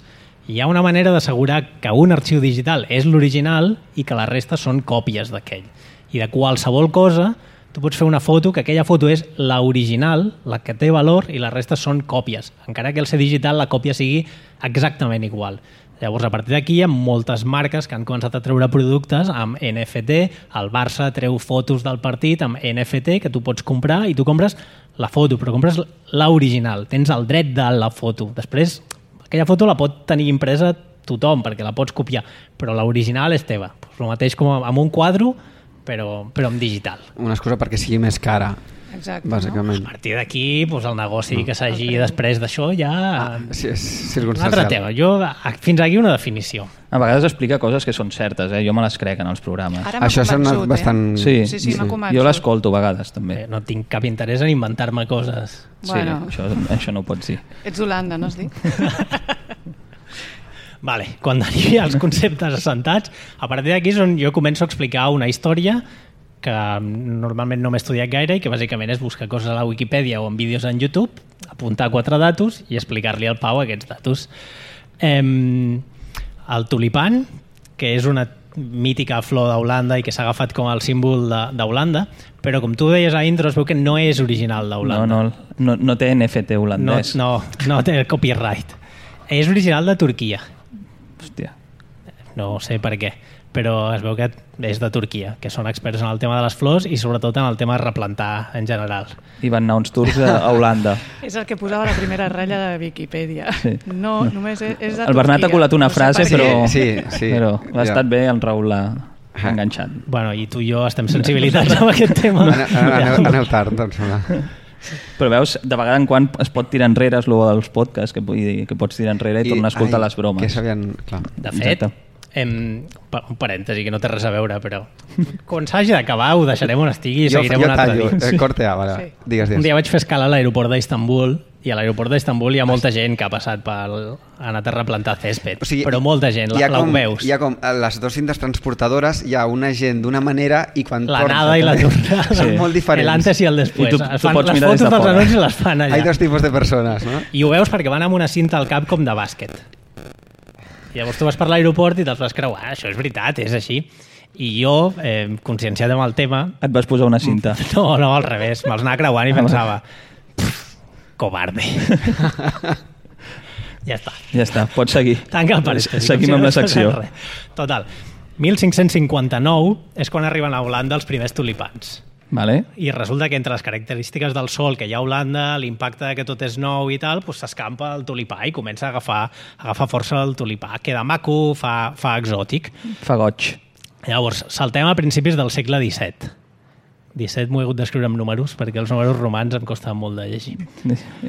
Speaker 5: Hi ha una manera d'assegurar que un arxiu digital és l'original i que la resta són còpies d'aquell. I de qualsevol cosa, tu pots fer una foto, que aquella foto és l'original, la que té valor, i la resta són còpies. Encara que al ser digital la còpia sigui exactament igual. Llavors, a partir d'aquí hi ha moltes marques que han començat a treure productes amb NFT. El Barça treu fotos del partit amb NFT que tu pots comprar i tu compres la foto, però compres l'original. Tens el dret de la foto. Després, aquella foto la pot tenir impresa tothom perquè la pots copiar, però l'original és teva. El mateix com amb un quadre, però en digital.
Speaker 2: Una excusa perquè sigui més cara.
Speaker 3: Exacte,
Speaker 2: bàsicament.
Speaker 5: A partir d'aquí, el negoci que s'hagi després d'això ja...
Speaker 2: Sí, és
Speaker 5: circumstancial. Un altre tema. Fins aquí una definició.
Speaker 11: A vegades explica coses que són certes, jo me les crec en els programes.
Speaker 2: Això és bastant...
Speaker 11: Sí, jo l'escolto a vegades també.
Speaker 5: No tinc cap interès en inventar-me coses.
Speaker 11: Sí, això no ho pots dir.
Speaker 3: Ets Holanda, no has dit?
Speaker 5: Vale, quan arribi als conceptes assentats, a partir d'aquí és on jo començo a explicar una història que normalment no m'he estudiat gaire i que bàsicament és buscar coses a la Wikipedia o en vídeos en YouTube, apuntar 4 datos i explicar-li al Pau aquests datos. El tulipan, que és una mítica flor d'Holanda i que s'ha agafat com el símbol d'Holanda, però com tu deies a intro es veu que no és original d'Holanda.
Speaker 11: No té NFT holandès.
Speaker 5: No té copyright. És original de Turquia.
Speaker 11: Hòstia.
Speaker 5: No sé per què, però es veu que és de Turquia, que són experts en el tema de les flors i sobretot en el tema de replantar en general.
Speaker 11: I van anar uns tours a Holanda.
Speaker 3: És el que posava la primera ratlla de Wikipedia. Sí. No, només és de Turquia.
Speaker 11: El Bernat ha colat una frase, però ha estat bé, el Raül l'ha enganxat.
Speaker 5: Bueno, i tu i jo estem sensibilitats amb aquest tema.
Speaker 2: Aneu tard, doncs.
Speaker 11: Però veus, de vegada en quan es pot tirar enrere és el dels podcasts, que pots tirar enrere i tornar a escoltar les bromes.
Speaker 2: Que sabien... Clar.
Speaker 5: De fet, un parèntesi que no té res a veure, però quan s'hagi d'acabar ho deixarem on estigui i seguirem un altre dia.
Speaker 2: Corte A, vale. Sí. Digues.
Speaker 5: Un dia vaig fer escala a l'aeroport d'Istanbul i a l'aeroport d'Istanbul hi ha molta gent que ha passat per anar a replantar césped, però molta gent, la veus.
Speaker 2: Hi ha com les dues cintes transportadores, hi ha una gent d'una manera i quan
Speaker 5: l'anada i la tornada
Speaker 2: són molt diferents.
Speaker 5: L'antes i el després.
Speaker 11: Les fotos
Speaker 5: dels anuncis les fan allà.
Speaker 2: Hi ha dos tipus de persones, no?
Speaker 5: I ho veus perquè van amb una cinta al cap com de bàsquet. Llavors tu vas per l'aeroport i te'ls vas creuar, això és veritat, és així. I jo, conscienciat amb el tema...
Speaker 11: Et vas posar una cinta?
Speaker 5: No, al revés, me'ls anava creuant i pensava covarde. Ja està,
Speaker 11: pots seguir.
Speaker 5: Tanca el parèntesi.
Speaker 11: Seguim amb la secció.
Speaker 5: Total, 1559 és quan arriben a Holanda els primers tulipans.
Speaker 11: Vale.
Speaker 5: I resulta que entre les característiques del sol que hi ha a Holanda, l'impacte que tot és nou i tal, s'escampa el tulipà i comença a agafar força el tulipà. Queda maco, fa exòtic.
Speaker 11: Fa goig.
Speaker 5: Llavors, saltem a principis del segle XVII. 17 m'ho he hagut d'escriure amb números perquè els números romans em costaven molt de llegir.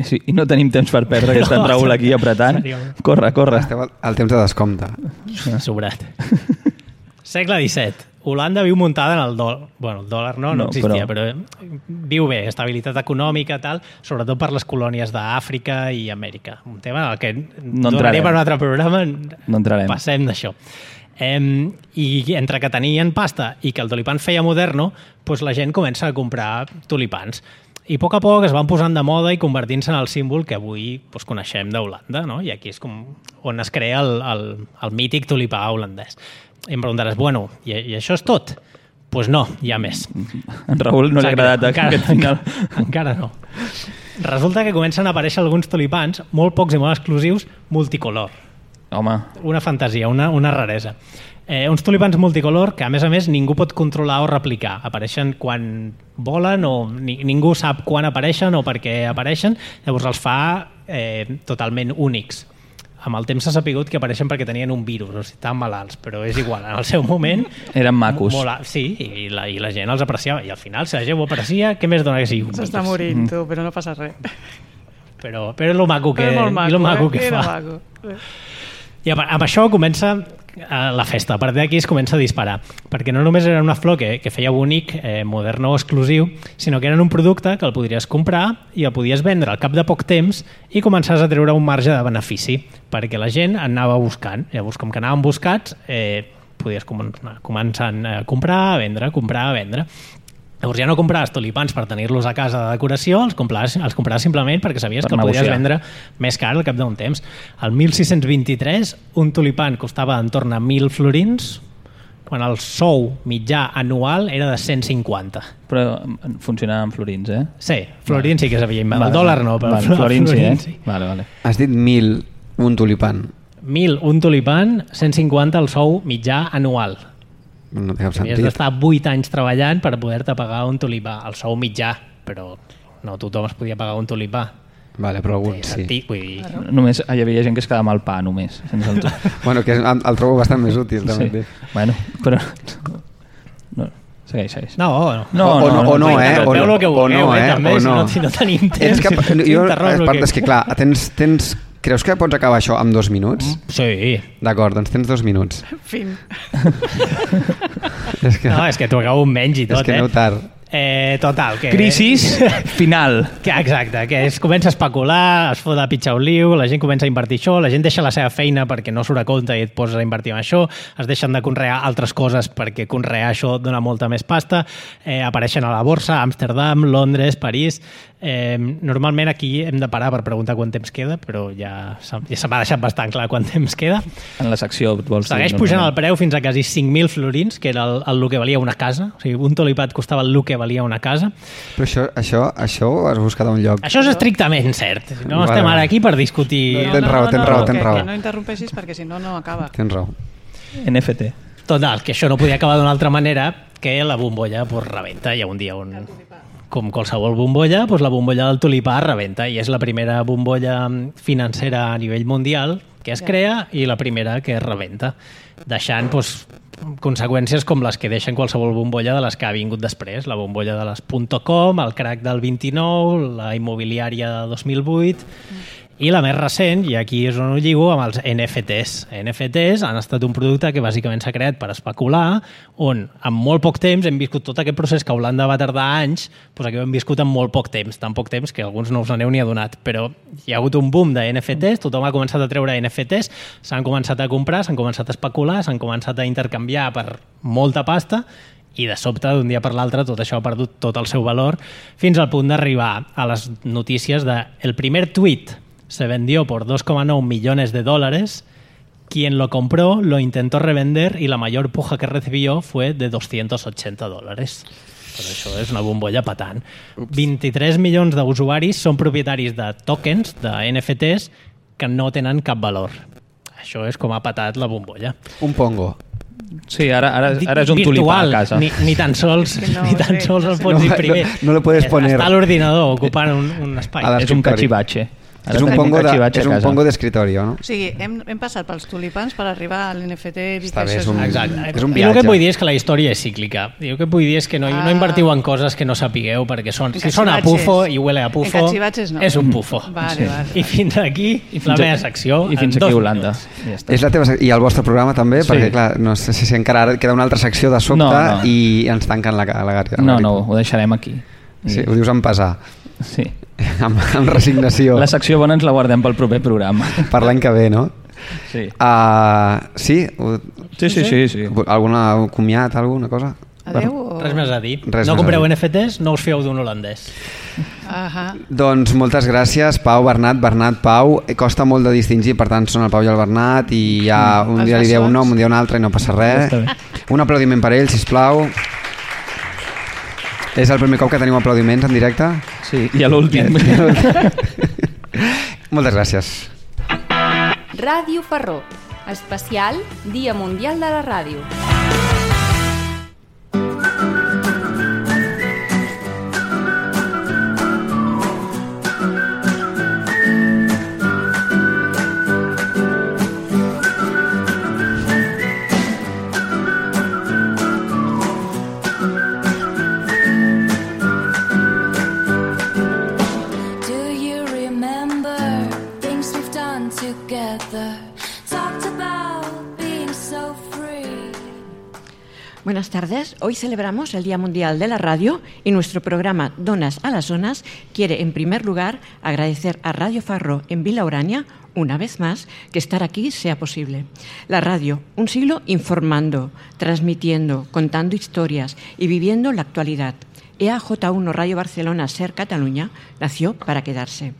Speaker 11: Sí, i no tenim temps per perdre, que està en Raül aquí apretant. Corre.
Speaker 2: Esteu al temps de descompte.
Speaker 5: Sobrat. Segle XVII. Holanda viu muntada en el dòlar. Bueno, el dòlar no existia, però viu bé, estabilitat econòmica, tal, sobretot per les colònies d'Àfrica i Amèrica. Un tema en el que donaria per un altre programa,
Speaker 11: no entrarem.
Speaker 5: Passem d'això. I entre que tenien pasta i que el tulipan feia moderno, doncs la gent comença a comprar tulipans. I a poc es van posant de moda i convertint-se en el símbol que avui coneixem d'Holanda, no? I aquí és com on es crea el mític tulipà holandès. I em preguntaràs, bueno, i això és tot? Doncs no, hi ha més.
Speaker 11: En Raül no li ha agradat aquest final.
Speaker 5: Encara no. Resulta que comencen a aparèixer alguns tulipans, molt pocs i molt exclusius, multicolor.
Speaker 11: Home.
Speaker 5: Una fantasia, una raresa. Uns tulipans multicolor que, a més, ningú pot controlar o replicar. Apareixen quan volen o ningú sap quan apareixen o per què apareixen. Llavors els fa totalment únics. Amb el temps s'ha sapigut que apareixen perquè tenien un virus, o sigui, estaven malalts, però és igual, en el seu moment...
Speaker 11: Eren macos.
Speaker 5: Sí, i la gent els apreciava, i al final, si la gent ho aprecia, què més dona que sigui?
Speaker 3: S'està morint, tu, però no passa res.
Speaker 5: Però és lo maco que fa.
Speaker 3: Maco.
Speaker 5: I amb això comença la festa. A partir d'aquí es comença a disparar, perquè no només era una flor que feia bonic, modern o exclusiu, sinó que eren un producte que el podries comprar i el podies vendre al cap de poc temps i començaves a treure un marge de benefici, perquè la gent anava buscant. Llavors, com que anaven buscats, podies començar a comprar, a vendre. Llavors ja no compraves tulipans per tenir-los a casa de decoració, els compraves simplement perquè sabies que el podies vendre més car al cap d'un temps. El 1623 un tulipan costava entorn a 1.000 florins, quan el sou mitjà anual era de 150.
Speaker 11: Però funcionava amb florins, eh?
Speaker 5: Sí, florins sí que sabia inventar. El dòlar no, però
Speaker 11: florins sí. Vale.
Speaker 2: Has dit 1.000 un tulipan.
Speaker 5: 1.000 un tulipan, 150 el sou mitjà anual.
Speaker 2: No té cap sentit.
Speaker 5: Havies d'estar 8 anys treballant per poder-te pagar un tulipà, el sou mitjà, però no tothom es podia pagar un tulipà.
Speaker 2: Vale, però alguns sí.
Speaker 11: Només hi havia gent que es quedava amb el pa, només.
Speaker 2: Bueno, que el trobo bastant més útil, també.
Speaker 11: Sí. Bueno, però... No. Segueix.
Speaker 5: No.
Speaker 2: O no,
Speaker 5: Veu el que vulgueu, també, si no tenim temps.
Speaker 2: És que clar, tens... Creus que pots acabar això amb 2 minuts?
Speaker 5: Sí.
Speaker 2: D'acord, doncs tens 2 minuts.
Speaker 3: Fin.
Speaker 5: És que t'ho acabo amb menys i tot,
Speaker 2: És que aneu tard.
Speaker 5: Total.
Speaker 11: Crisis final.
Speaker 5: Exacte, que es comença a especular, es fot a pitjar un liu, la gent comença a invertir això, la gent deixa la seva feina perquè no surt a compte i et poses a invertir en això, es deixen de conrear altres coses perquè conrear això dona molta més pasta, apareixen a la borsa, Amsterdam, Londres, París... Normalment aquí hem de parar per preguntar quant temps queda, però ja se m'ha deixat bastant clar quant temps queda.
Speaker 11: En la secció vols dir...
Speaker 5: Segueix pujant el preu fins a quasi 5.000 florins, que era el que valia una casa. O sigui, un tulipat costava el que valia una casa.
Speaker 2: Però això ho has buscat a un lloc?
Speaker 5: Això és estrictament cert. No estem ara aquí per discutir...
Speaker 2: Tens raó.
Speaker 3: Que no interrompeixis perquè si no, no acaba.
Speaker 2: Tens raó.
Speaker 11: NFT.
Speaker 5: Total, que això no podia acabar d'una altra manera que la bombolla rebenta. Hi ha un dia on... Com qualsevol bombolla, la bombolla del tulipà rebenta i és la primera bombolla financera a nivell mundial que es crea i la primera que rebenta, deixant conseqüències com les que deixen qualsevol bombolla de les que ha vingut després, la bombolla de les .com, el crack del 29, la immobiliària de 2008... I la més recent, i aquí és on ho lligo, amb els NFTs. NFTs han estat un producte que bàsicament s'ha creat per especular, on en molt poc temps hem viscut tot aquest procés que a Holanda va tardar anys, aquí ho hem viscut en molt poc temps, tan poc temps que alguns no us n'aneu ni adonat, però hi ha hagut un boom de NFTs, tothom ha començat a treure NFTs, s'han començat a comprar, s'han començat a especular, s'han començat a intercanviar per molta pasta, i de sobte, d'un dia per l'altre, tot això ha perdut tot el seu valor, fins al punt d'arribar a les notícies de el primer tuit se vendió por 2,9 millones de dólares. Quien lo compró lo intentó revender y la mayor puja que recibió fue de $280. Però això és una bombolla patant. 23 milions d'usuaris són propietaris de tokens, de NFTs, que no tenen cap valor. Això és com ha patat la bombolla.
Speaker 2: Un pongo.
Speaker 11: Sí, ara és un tulipà a casa.
Speaker 5: Ni tan sols el pots imprimir.
Speaker 2: No lo puedes poner.
Speaker 5: Està a l'ordinador ocupant un espai.
Speaker 11: És un cachivache.
Speaker 2: És un pongo d'escritori, no?
Speaker 3: O sigui, hem passat pels tulipans per arribar a l'NFT.
Speaker 2: Està bé, és un viatge.
Speaker 5: I el que vull dir és que la història és cíclica. El que vull dir és que no invertiu en coses que no sapigueu, perquè si sona a pufo i huele a pufo, és un pufo. I fins aquí la meva secció.
Speaker 11: I fins aquí Holanda.
Speaker 2: I el vostre programa també, perquè clar, no sé si encara queda una altra secció de sobte i ens tanquen la gària.
Speaker 11: No, ho deixarem aquí.
Speaker 2: Sí, ho dius amb pesar.
Speaker 11: Sí.
Speaker 2: Amb resignació.
Speaker 11: La secció bona ens la guardem pel proper programa.
Speaker 2: Per l'any que ve, no?
Speaker 11: Sí.
Speaker 2: Sí. Alguna comiat, alguna cosa?
Speaker 3: Adéu?
Speaker 5: Res més a dir. No compreu NFTs, no us fieu d'un holandès.
Speaker 2: Doncs moltes gràcies, Pau, Bernat, Pau. Costa molt de distingir, per tant són el Pau i el Bernat, i ja un dia li dieu un nom, un dia un altre i no passa res. Un aplaudiment per ells, sisplau. És el primer cop que tenim aplaudiments en directe?
Speaker 11: Sí, i a l'últim.
Speaker 2: Moltes gràcies.
Speaker 1: Ràdio Farró, especial Dia Mundial de la Ràdio.
Speaker 8: Buenas tardes. Hoy celebramos el Día Mundial de la Radio y nuestro programa Donas a las Zonas quiere, en primer lugar, agradecer a Radio Farró en Vila Urania, una vez más, que estar aquí sea posible. La radio, un siglo informando, transmitiendo, contando historias y viviendo la actualidad. EAJ1 Radio Barcelona Ser Cataluña nació para quedarse.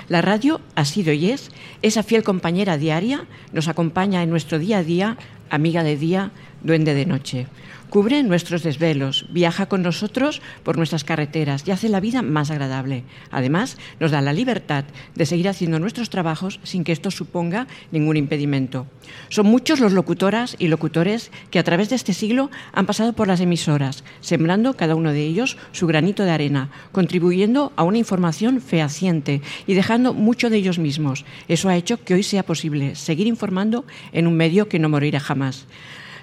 Speaker 8: La radio ha sido y es esa fiel compañera diaria, nos acompaña en nuestro día a día, amiga de día, duende de noche. Cubre nuestros desvelos, viaja con nosotros por nuestras carreteras y hace la vida más agradable. Además, nos da la libertad de seguir haciendo nuestros trabajos sin que esto suponga ningún impedimento. Son muchos los locutoras y locutores que a través de este siglo han pasado por las emisoras, sembrando cada uno de ellos su granito de arena, contribuyendo a una información fehaciente y dejando mucho de ellos mismos. Eso ha hecho que hoy sea posible seguir informando en un medio que no morirá jamás.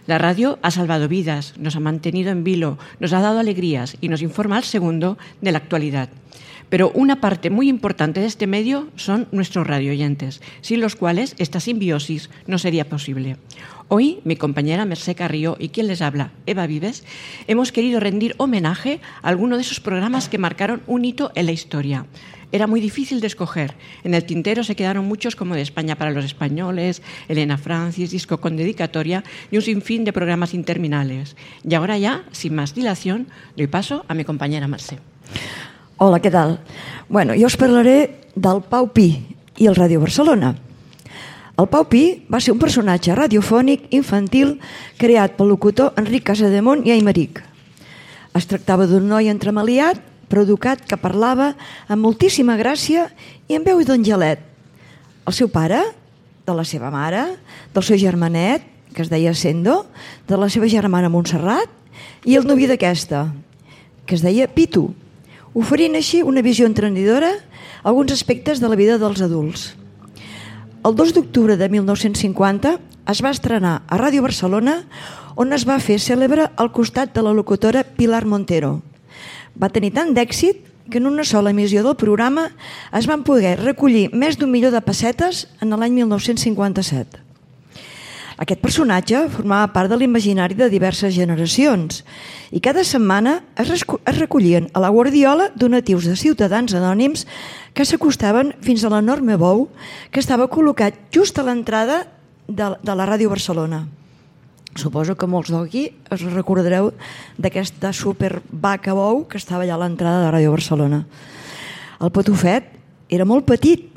Speaker 8: La radio ha salvado vidas, nos ha mantenido en vilo, nos ha dado alegrías y nos informa al segundo de la actualidad. Pero una parte muy importante de este medio son nuestros radioyentes, sin los cuales esta simbiosis no sería posible. Hoy, mi compañera Mercè Carrió y quien les habla, Eva Vives, hemos querido rendir homenaje a alguno de esos programas que marcaron un hito en la historia. Era muy difícil de escoger. En el tintero se quedaron muchos como De España para los españoles, Elena Francis, Disco con dedicatoria y un sinfín de programas interminables. Y ahora ya, sin más dilación, doy paso a mi compañera Mercè.
Speaker 12: Hola, què tal? Bueno, jo us parlaré del Pau Pi i el Ràdio Barcelona. El Pau Pi va ser un personatge radiofònic infantil creat pel locutor Enric Casademont i Aymeric. Es tractava d'un noi entremaliat, però educat, que parlava amb moltíssima gràcia i amb veu d'angelet. El seu pare, de la seva mare, del seu germanet, que es deia Sendo, de la seva germana Montserrat, i el novi d'aquesta, que es deia Pitu, oferint així una visió entrenidora a alguns aspectes de la vida dels adults. El 2 d'octubre de 1950 es va estrenar a Ràdio Barcelona, on es va fer cèlebre al costat de la locutora Pilar Montero. Va tenir tant d'èxit que en una sola emissió del programa es van poder recollir més d'1 milió de pessetes en l'any 1957. Aquest personatge formava part de l'imaginari de diverses generacions i cada setmana es recollien a la guardiola donatius de ciutadans anònims que s'acostaven fins a l'enorme bou que estava col·locat just a l'entrada de la Ràdio Barcelona. Suposo que molts d'aquí us recordareu d'aquesta supervaca bou que estava allà a l'entrada de Ràdio Barcelona. El patufet era molt petit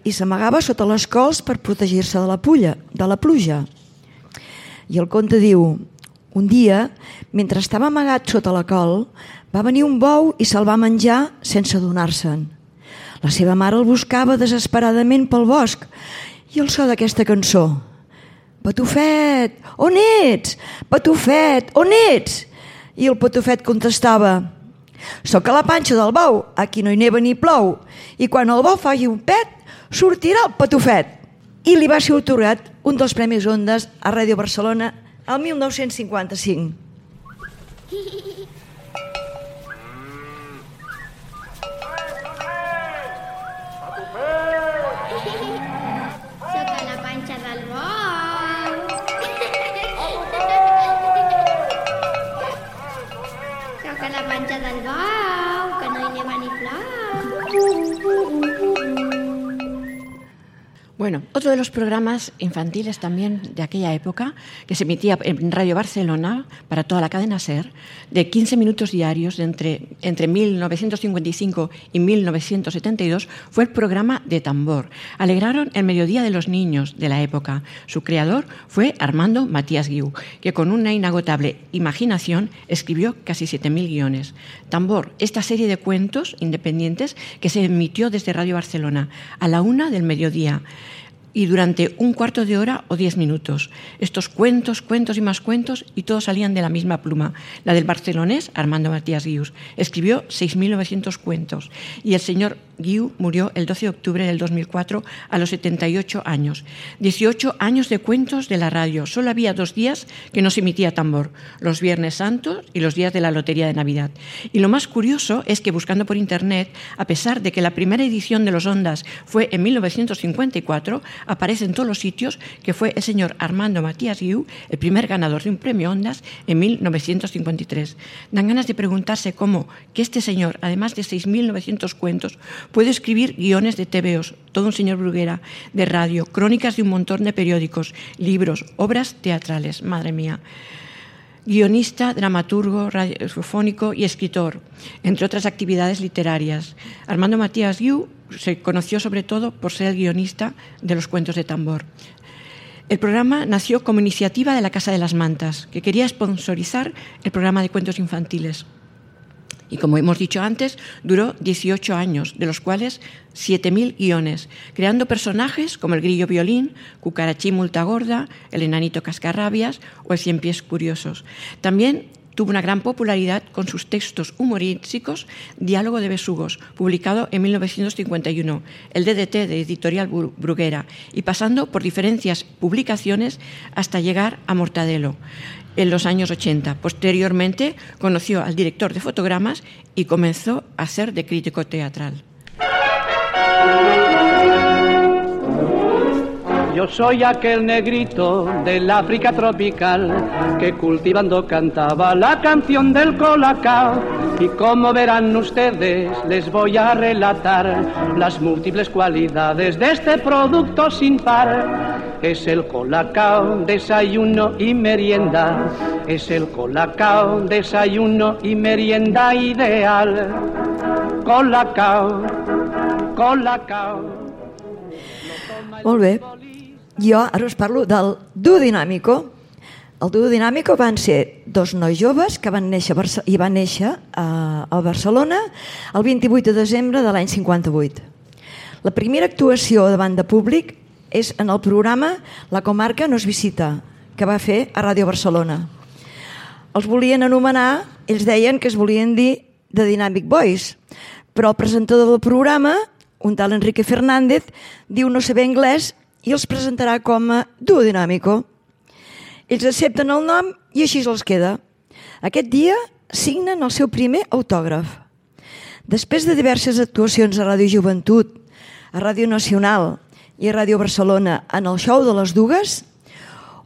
Speaker 12: i s'amagava sota les cols per protegir-se de la pluja. I el conte diu: un dia, mentre estava amagat sota la col, va venir un bou i se'l va menjar sense adonar-se'n. La seva mare el buscava desesperadament pel bosc i el so d'aquesta cançó: «Patufet, on ets? Patufet, on ets?» I el patufet contestava: «Soc a la panxa del bou, aquí no hi neva ni plou, i quan el bou faci un pet, sortirà el patufet». I li va ser atorgat un dels Premis Ondas a Ràdio Barcelona el 1955.
Speaker 13: Soc a la panxa del bou. Soc a la panxa del bou, que no hi neva ni plou.
Speaker 8: Bueno, otro de los programas infantiles también de aquella época, que se emitía en Radio Barcelona para toda la cadena SER, de 15 minutos diarios entre 1955 y 1972, fue el programa de Tambor. Alegraron el mediodía de los niños de la época. Su creador fue Armando Matías Guiu, que con una inagotable imaginación escribió casi 7.000 guiones. Tambor, esta serie de cuentos independientes que se emitió desde Radio Barcelona a la 1 del mediodía, y durante un cuarto de hora o 10 minutos. Estos cuentos y más cuentos, y todos salían de la misma pluma, la del barcelonés Armando Matías Guiu. Escribió 6.900 cuentos y el señor Guiu murió el 12 de octubre del 2004 a los 78 años. 18 años de cuentos de la radio. Solo había 2 días que no se emitía Tambor, los Viernes Santos y los días de la Lotería de Navidad. Y lo más curioso es que, buscando por internet, a pesar de que la primera edición de los Ondas fue en 1954, aparece en todos los sitios que fue el señor Armando Matías Guiu el primer ganador de un premio Ondas en 1953. Dan ganas de preguntarse cómo que este señor, además de 6.900 cuentos, puede escribir guiones de TVOs, todo un señor Bruguera, de radio, crónicas de un montón de periódicos, libros, obras teatrales. Madre mía. Guionista, dramaturgo, radiofónico y escritor, entre otras actividades literarias. Armando Matías Guiu se conoció sobre todo por ser el guionista de los cuentos de Tambor. El programa nació como iniciativa de la Casa de las Mantas, que quería sponsorizar el programa de cuentos infantiles. Y como hemos dicho antes, duró 18 años, de los cuales 7.000 guiones, creando personajes como el Grillo Violín, Cucarachín Multagorda, el Enanito Cascarrabias o el Cien Pies Curiosos. También tuvo una gran popularidad con sus textos humorísticos Diálogo de Besugos, publicado en 1951, el DDT de Editorial Bruguera, y pasando por diferentes publicaciones hasta llegar a Mortadelo en los años 80. Posteriormente conoció al director de fotogramas y comenzó a ser de crítico teatral.
Speaker 14: yo soy aquel negrito del África tropical que cultivando cantaba la canción del colacao. Y como verán ustedes, les voy a relatar las múltiples cualidades de este producto sin par. Es el colacao, desayuno y merienda. Es el colacao, desayuno y merienda ideal. Colacao, colacao.
Speaker 12: Molt bé. Jo ara us parlo del Duo Dinàmico. El Duo Dinàmico van ser dos nois joves que van néixer a Barcelona el 28 de desembre de l'any 58. La primera actuació davant de públic és en el programa La comarca nos visita, que va fer a Ràdio Barcelona. Els volien anomenar, ells deien que es volien dir The Dynamic Boys, però el presentador del programa, un tal Enrique Fernández, diu no saber anglès i els presentarà com a Duo Dinàmico. Ells accepten el nom i així els queda. Aquest dia signen el seu primer autògraf. Després de diverses actuacions a Ràdio Joventut, a Ràdio Nacional i a Ràdio Barcelona en el show de les Dugues,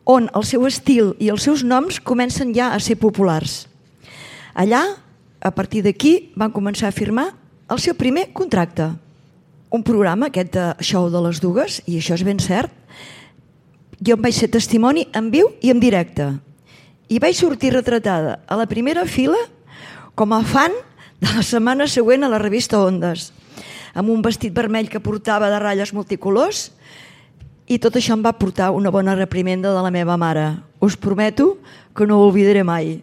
Speaker 12: on el seu estil i els seus noms comencen ja a ser populars. Allà, a partir d'aquí, van començar a firmar el seu primer contracte. Un programa, aquest de show de les Dugues, i això és ben cert, jo en vaig ser testimoni en viu i en directe. I vaig sortir retratada a la primera fila com a fan de la setmana següent a la revista Ondes, amb un vestit vermell que portava de ratlles multicolors, i tot això em va portar una bona reprimenda de la meva mare. Us prometo que no ho oblidaré mai.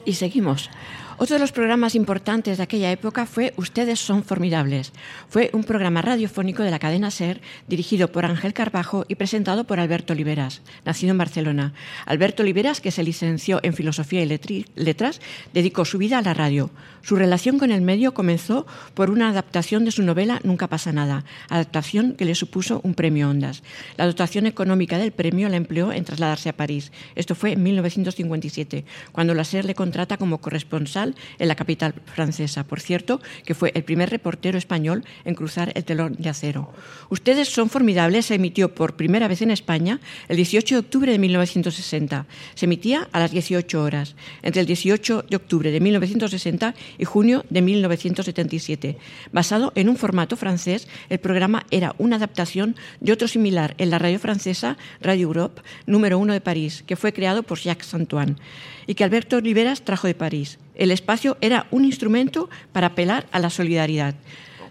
Speaker 8: Y seguimos. Otro de los programas importantes de aquella época fue Ustedes son formidables. Fue un programa radiofónico de la cadena SER dirigido por Ángel Carbajo y presentado por Alberto Oliveras, nacido en Barcelona. Alberto Oliveras, que se licenció en Filosofía y Letras, dedicó su vida a la radio. Su relación con el medio comenzó por una adaptación de su novela Nunca pasa nada, adaptación que le supuso un premio Ondas. La dotación económica del premio la empleó en trasladarse a París. Esto fue en 1957, cuando la SER le contrata como corresponsal en la capital francesa. Por cierto, que fue el primer reportero español en cruzar el telón de acero. Ustedes son formidables se emitió por primera vez en España el 18 de octubre de 1960. Se emitía a las 18 horas, entre el 18 de octubre de 1960 y junio de 1977. Basado en un formato francés, el programa era una adaptación de otro similar en la radio francesa, Radio Europe, número 1 de París, que fue creado por Jacques Antoine y que Alberto Oliveras trajo de París. El espacio era un instrumento para apelar a la solidaridad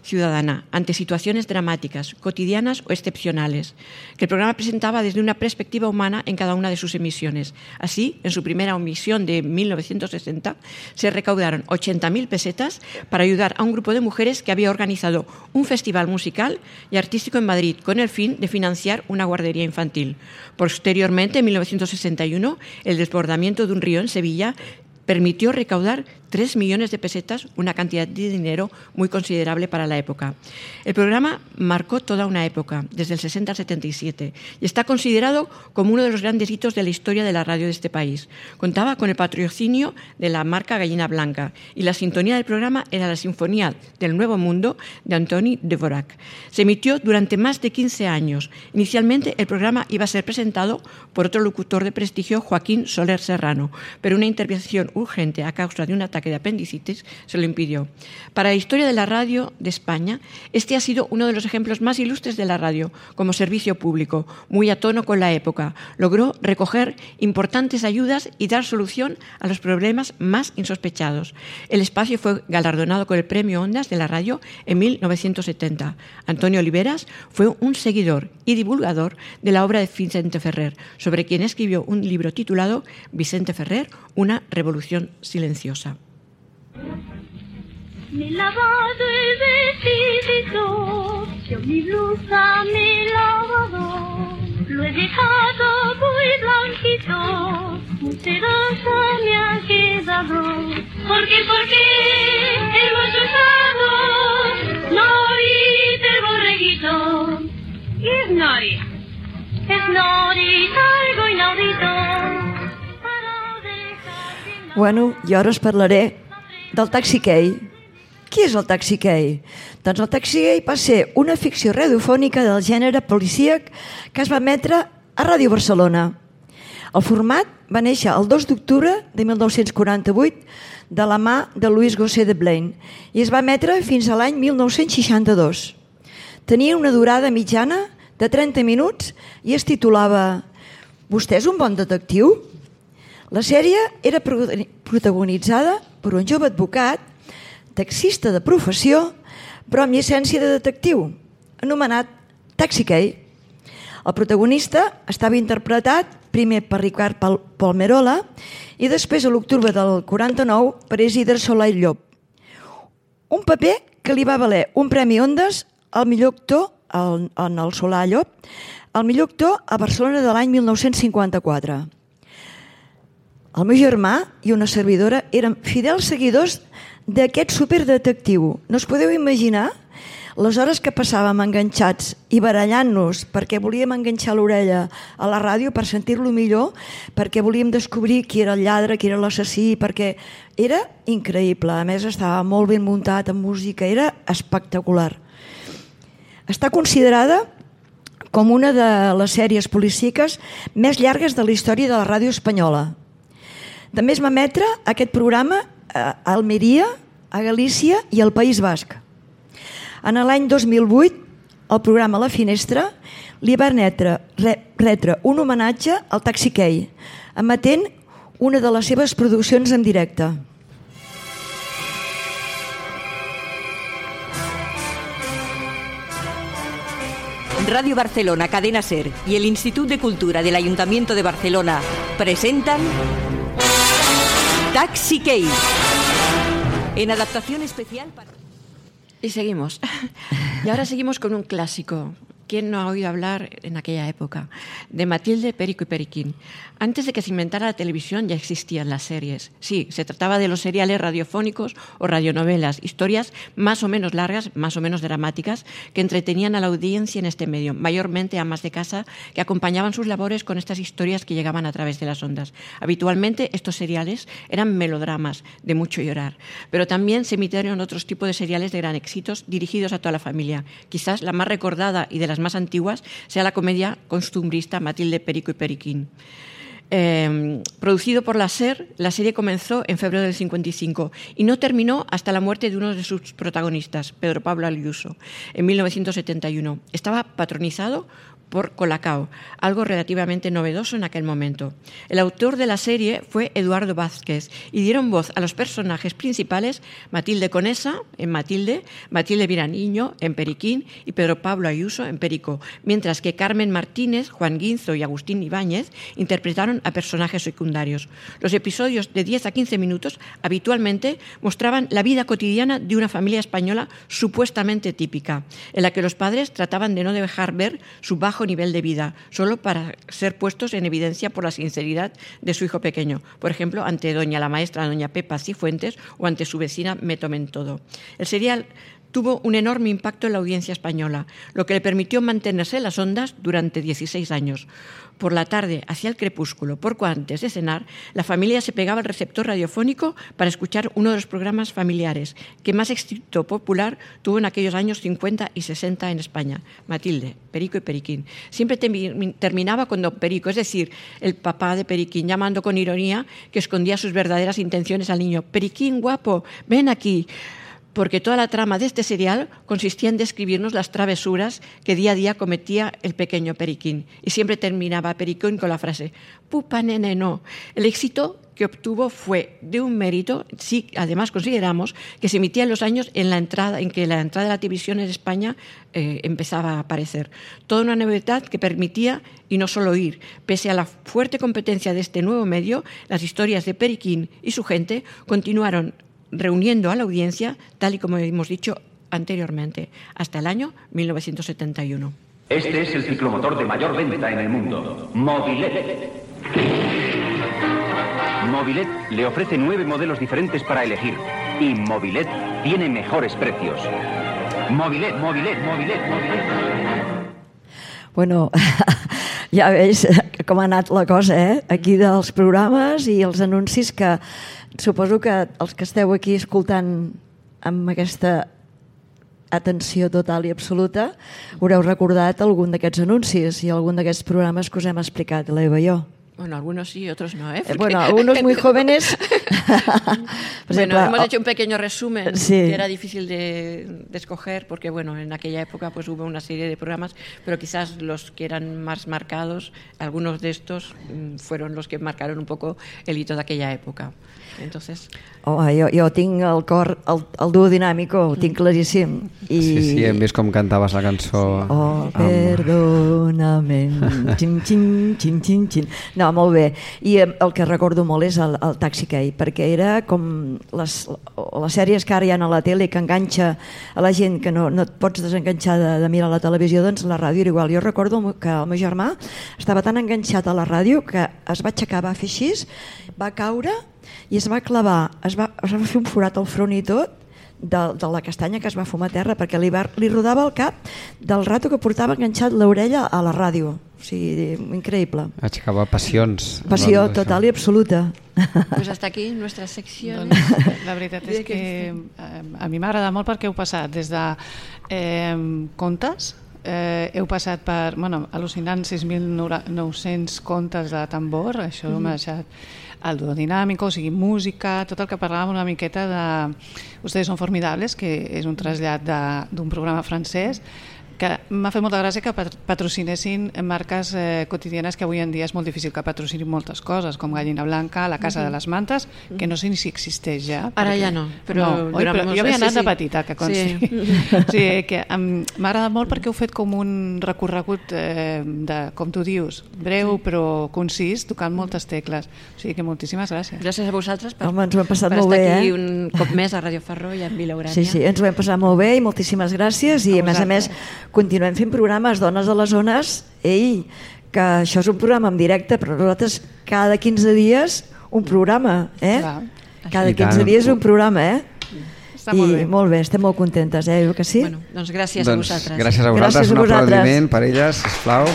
Speaker 8: ciudadana ante situaciones dramáticas, cotidianas o excepcionales, que el programa presentaba desde una perspectiva humana en cada una de sus emisiones. Así, en su primera emisión de 1960, se recaudaron 80.000 pesetas para ayudar a un grupo de mujeres que había organizado un festival musical y artístico en Madrid con el fin de financiar una guardería infantil. Posteriormente, en 1961, el desbordamiento de un río en Sevilla permitió recaudar 3 millones de pesetas, una cantidad de dinero muy considerable para la época. El programa marcó toda una época, desde el 60 al 77, y está considerado como uno de los grandes hitos de la historia de la radio de este país. Contaba con el patrocinio de la marca Gallina Blanca, y la sintonía del programa era la Sinfonía del Nuevo Mundo de Antoni Dvořák. Se emitió durante más de 15 años. Inicialmente el programa iba a ser presentado por otro locutor de prestigio, Joaquín Soler Serrano, pero una intervención urgente a causa de un ataque de apendicitis se lo impidió. Para la historia de la radio de España, este ha sido uno de los ejemplos más ilustres de la radio como servicio público, muy a tono con la época. Logró recoger importantes ayudas y dar solución a los problemas más insospechados. El espacio fue galardonado con el Premio Ondas de la radio en 1970. Antonio Oliveras fue un seguidor y divulgador de la obra de Vicente Ferrer, sobre quien escribió un libro titulado Vicente Ferrer, una revolución silenciosa.
Speaker 15: Mi lavado el vestidito, yo mi blusa, mi lavado, lo he dejado muy blanquito, muy sedoso me ha quedado. Porque hemos usado Nori del borreguito. ¿Qué es Nori? Es Nori, algo inaudito.
Speaker 12: Bueno, jo ara us parlaré del Taxi Key. Qui és el Taxi Key? Doncs el Taxi Key va ser una ficció radiofònica del gènere policíac que es va emetre a Ràdio Barcelona. El format va néixer el 2 d'octubre de 1948 de la mà de Louis Gosset de Blaine i es va emetre fins a l'any 1962. Tenia una durada mitjana de 30 minuts i es titulava «Vostè és un bon detectiu?». La sèrie era protagonitzada per un jove advocat, taxista de professió, però amb llicència de detectiu, anomenat Taxi Key. El protagonista estava interpretat primer per Ricard Palmerola i després a l'octubre del 49 per Isidre Solà i Llop. Un paper que li va valer un Premi Ondas al millor actor, en el Solà i Llop, al millor actor a Barcelona de l'any 1954. El meu germà i una servidora eren fidels seguidors d'aquest superdetectiu. No us podeu imaginar les hores que passàvem enganxats i barallant-nos perquè volíem enganxar l'orella a la ràdio per sentir-lo millor, perquè volíem descobrir qui era el lladre, qui era l'assassí, perquè era increïble. A més, estava molt ben muntat en música, era espectacular. Està considerada com una de les sèries policíaques més llargues de la història de la ràdio espanyola. També es va emetre aquest programa a Almeria, a Galícia i al País Basc. En l'any 2008, el programa La Finestra li va retre un homenatge al Taxi Key, emetent una de les seves produccions en directe.
Speaker 16: Radio Barcelona, Cadena SER y el Instituto de Cultura del Ayuntamiento de Barcelona presentan Taxi Key, en adaptación especial para...
Speaker 8: Y seguimos. Y ahora seguimos con un clásico. ¿Quién no ha oído hablar en aquella época? De Matilde, Perico y Periquín. Antes de que se inventara la televisión ya existían las series. Sí, se trataba de los seriales radiofónicos o radionovelas, historias más o menos largas, más o menos dramáticas, que entretenían a la audiencia en este medio, mayormente amas de casa que acompañaban sus labores con estas historias que llegaban a través de las ondas. Habitualmente estos seriales eran melodramas de mucho llorar, pero también se emitieron otros tipos de seriales de gran éxito dirigidos a toda la familia. Quizás la más recordada y de las más antiguas sea la comedia costumbrista Matilde, Perico y Periquín. Producido por la SER, la serie comenzó en febrero del 55 y no terminó hasta la muerte de uno de sus protagonistas, Pedro Pablo Ayuso, en 1971. Estaba patronizado por Colacao, algo relativamente novedoso en aquel momento. El autor de la serie fue Eduardo Vázquez y dieron voz a los personajes principales Matilde Conesa en Matilde, Matilde Viraniño en Periquín y Pedro Pablo Ayuso en Perico, mientras que Carmen Martínez, Juan Guinzo y Agustín Ibáñez interpretaron a personajes secundarios. Los episodios de 10 a 15 minutos habitualmente mostraban la vida cotidiana de una familia española supuestamente típica, en la que los padres trataban de no dejar ver su bajo nivel de vida, solo para ser puestos en evidencia por la sinceridad de su hijo pequeño, por ejemplo, ante doña la maestra, doña Pepa Cifuentes, o ante su vecina Me Tomen Todo. El serial tuvo un enorme impacto en la audiencia española, lo que le permitió mantenerse en las ondas durante 16 años. Por la tarde, hacia el crepúsculo, poco antes de cenar, la familia se pegaba al receptor radiofónico para escuchar uno de los programas familiares que más éxito popular tuvo en aquellos años 50 y 60 en España. Matilde, Perico y Periquín. Siempre terminaba con Don Perico, es decir, el papá de Periquín, llamando con ironía que escondía sus verdaderas intenciones al niño. Periquín, guapo, ven aquí. Porque toda la trama de este serial consistía en describirnos las travesuras que día a día cometía el pequeño Periquín. Y siempre terminaba Periquín con la frase, pupa nene no. El éxito que obtuvo fue de un mérito, sí, además consideramos que se emitía en los años en que la entrada de la televisión en España empezaba a aparecer. Toda una novedad que permitía, y no solo oír, pese a la fuerte competencia de este nuevo medio, las historias de Periquín y su gente continuaron reuniendo a la audiencia, tal y como hemos dicho anteriormente, hasta el año 1971.
Speaker 17: Este es el ciclomotor de mayor venta en el mundo, Mobilet. Mobilet le ofrece 9 modelos diferentes para elegir y Mobilet tiene mejores precios. Mobilet, Mobilet, Mobilet, Mobilet.
Speaker 12: Bueno, ja veus com ha anat la cosa, aquí dels programes i els anuncis que suposo que els que esteu aquí escoltant amb aquesta atenció total i absoluta haureu recordat algun d'aquests anuncis i algun d'aquests programes que us hem explicat, l'Eva i jo.
Speaker 8: Bueno, algunos sí, otros no,
Speaker 12: Bueno, algunos muy jóvenes.
Speaker 8: Bueno, hemos hecho un pequeño resumen, que era difícil de escoger, porque bueno, en aquella época pues hubo una serie de programas, pero quizás los que eran más marcados, algunos de estos fueron los que marcaron un poco el hito de aquella época. Entonces...
Speaker 12: Jo tinc el cor, el duo dinàmico, ho tinc claríssim.
Speaker 2: Sí, hem vist com cantaves la cançó.
Speaker 12: Perdóname, xin, xin, xin, xin, xin. No, molt bé. I el que recordo molt és el Taxi Key, perquè era com les sèries que ara hi ha a la tele que enganxa a la gent que no et pots desenganxar de mirar la televisió, doncs la ràdio era igual. Jo recordo que el meu germà estava tan enganxat a la ràdio que es va aixecar, va fer així, va caure i es va clavar, es va fer un forat al front i tot de la castanya que es va fumar a terra perquè li rodava el cap del rato que portava enganxat l'orella a la ràdio. O sigui, increïble.
Speaker 2: Aixecava passions.
Speaker 12: Passió total i absoluta.
Speaker 8: Pues hasta aquí nuestra sección.
Speaker 3: La veritat és que a mi m'agrada molt perquè heu passat des de contes, heu passat per al·lucinant 6.900 contes de tambor, això m'ha deixat el duo dinàmico, o sigui, música, tot el que parlàvem una miqueta de Ustedes son formidables, que és un trasllat d'un programa francès, que m'ha fet molta gràcia que patrocinessin marques quotidianes que avui en dia és molt difícil que patrocinin moltes coses, com Gallina Blanca, La Casa de les Mantes, que no sé ni si existeix ja.
Speaker 8: Ara ja no, però
Speaker 3: jo havia anat de petita, que consti. M'ha agradat molt perquè heu fet com un recorregut de, com tu dius, breu però concís, tocant moltes tecles. O sigui que moltíssimes gràcies.
Speaker 8: Gràcies a vosaltres per
Speaker 12: estar
Speaker 8: aquí un cop més a Radio Farró i a Vila Urània.
Speaker 12: Sí, ens ho hem passat molt bé i moltíssimes gràcies i a més continuem fent programes Dones a les Zones, que això és un programa en directe, però nosaltres cada 15 dies un programa, Cada 15 dies un programa,
Speaker 3: Està molt bé.
Speaker 12: I molt bé, estem molt contentes, que sí?
Speaker 8: Bueno, doncs gràcies a vosaltres.
Speaker 2: Gràcies a vosaltres, un aplaudiment per elles, sisplau.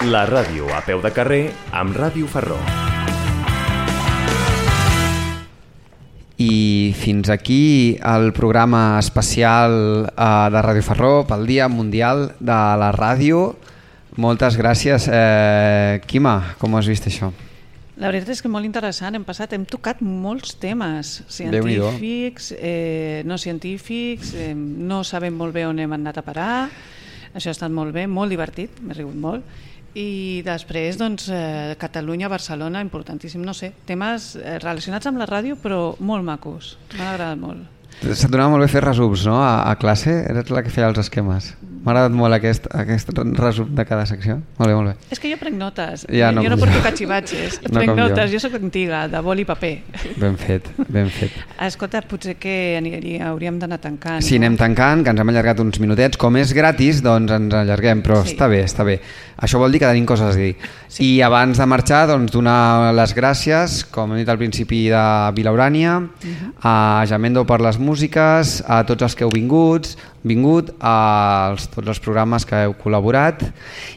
Speaker 18: La ràdio a peu de carrer amb Ràdio Farró.
Speaker 2: I fins aquí el programa especial de Ràdio Farró pel Dia Mundial de la Ràdio. Moltes gràcies. Quima, com has vist això?
Speaker 3: La veritat és que molt interessant. Hem tocat molts temes científics, no científics, no sabem molt bé on hem anat a parar. Això ha estat molt bé, molt divertit, m'he rigut molt. I després, doncs, Catalunya, Barcelona, importantíssim, no sé, temes relacionats amb la ràdio, però molt macos, m'ha agradat molt.
Speaker 2: Se't donava molt bé fer resums, no?, a classe? Eres la que feia els esquemes. M'ha agradat molt aquest resum de cada secció. Molt bé, molt bé.
Speaker 3: És que jo prenc notes.
Speaker 2: Ja, no,
Speaker 3: jo no porto catxivatges.
Speaker 2: No
Speaker 3: prenc notes, jo soc antiga, de boli i paper.
Speaker 2: Ben fet, ben fet.
Speaker 3: Escolta, potser que hauríem d'anar tancant.
Speaker 2: Sí, anem tancant, que ens hem allargat uns minutets. Com és gratis, doncs ens allarguem, però sí. Està bé, està bé. Això vol dir que tenim coses a dir. Sí. I abans de marxar, doncs, donar les gràcies, com hem dit al principi, de Vilaurània, a Jamendo per les músiques, a tots els que heu vingut, a tots els programes que heu col·laborat,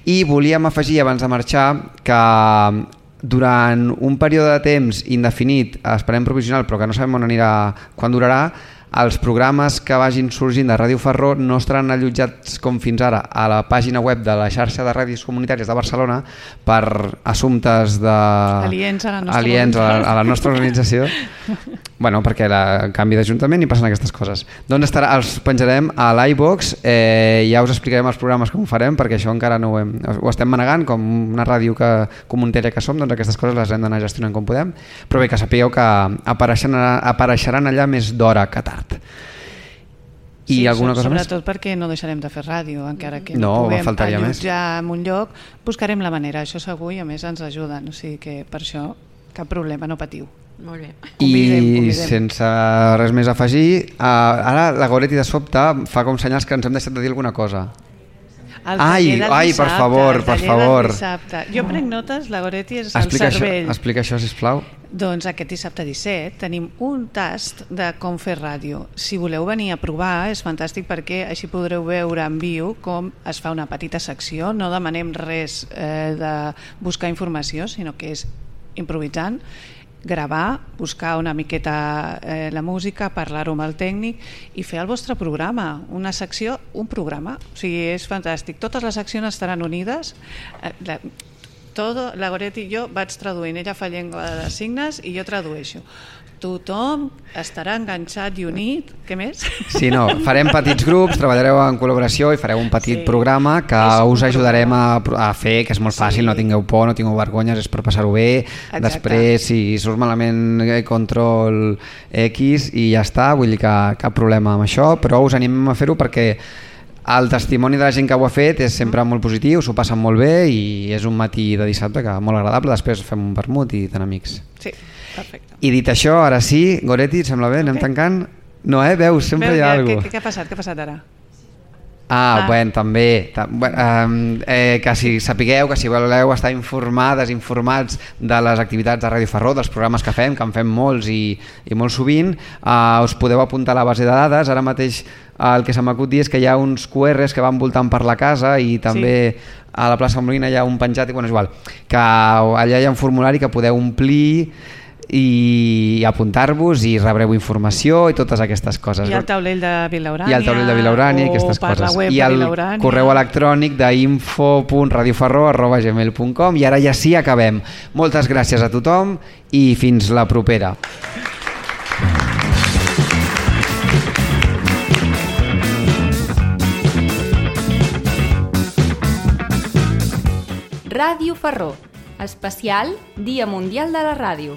Speaker 2: i volíem afegir abans de marxar que durant un període de temps indefinit, esperem provisional però que no sabem on anirà, quan durarà, els programes que vagin sorgint de Ràdio Farró no estaran allotjats com fins ara a la pàgina web de la xarxa de ràdios comunitàries de Barcelona per assumptes
Speaker 3: aliens a
Speaker 2: la nostra organització. Bueno, perquè el canvi d'Ajuntament i passen aquestes coses. Doncs els penjarem a l'iVox, ja us explicarem els programes com ho farem, perquè això encara no ho estem manegant, com una ràdio comunitària que som, doncs aquestes coses les hem d'anar gestionant com podem, però bé, que sapigueu que apareixeran allà més d'hora que tard. I alguna cosa més?
Speaker 3: Sobretot perquè no deixarem de fer ràdio, encara que no puguem allotjar en un lloc, buscarem la manera, això segur, i a més ens ajuden, o sigui que per això cap problema, no patiu.
Speaker 8: Molt bé.
Speaker 2: I sense res més a afegir, ara la Goretti de sobte fa com senyals que ens hem deixat de dir alguna cosa. Ai, per favor.
Speaker 3: Jo prenc notes, la Goretti és el cervell.
Speaker 2: Explica això, sisplau.
Speaker 3: Doncs aquest dissabte 17 tenim un tast de com fer ràdio. Si voleu venir a provar és fantàstic perquè així podreu veure en viu com es fa una petita secció. No demanem res de buscar informació, sinó que és improvisant, gravar, buscar una miqueta la música, parlar-ho amb el tècnic i fer el vostre programa, una secció, un programa. O sigui, és fantàstic. Totes les seccions estaran unides. La Goretti i jo vaig traduint, ella fa llengua de signes i jo tradueixo. Tothom estarà enganxat i unit. Què més?
Speaker 2: Sí, no, farem petits grups, treballareu en col·laboració i fareu un petit programa que us ajudarem a fer, que és molt fàcil, no tingueu por, no tingueu vergonyes, és per passar-ho bé. Exacte. Després, si surt malament, control X i ja està, vull dir que cap problema amb això, però us animem a fer-ho perquè el testimoni de la gent que ho ha fet és sempre molt positiu, s'ho passen molt bé i és un matí de dissabte que molt agradable, després fem un vermut i tan amics.
Speaker 3: Sí, perfecte.
Speaker 2: I dit això, ara sí, Goretti, et sembla bé? Anem tancant? No, veus, sempre hi ha alguna cosa.
Speaker 3: Què ha passat ara?
Speaker 2: Bueno, també que si sapigueu que si voleu estar informats de les activitats de Ràdio Farró, dels programes que en fem molts i molt sovint, us podeu apuntar a la base de dades. Ara mateix el que se m'acut dir és que hi ha uns QRs que van voltant per la casa i també a la plaça Molina hi ha un penjat, i és igual, que allà hi ha un formulari que podeu omplir i apuntar-vos i rebreu informació i totes aquestes coses.
Speaker 3: I el taulell de Vilaurània.
Speaker 2: I el taulell de Vilaurània i aquestes coses. I el correu electrònic d'info.radiofarró@gmail.com. I ara ja sí, acabem. Moltes gràcies a tothom i fins la propera.
Speaker 1: Ràdio Farró, especial Dia Mundial de la Ràdio.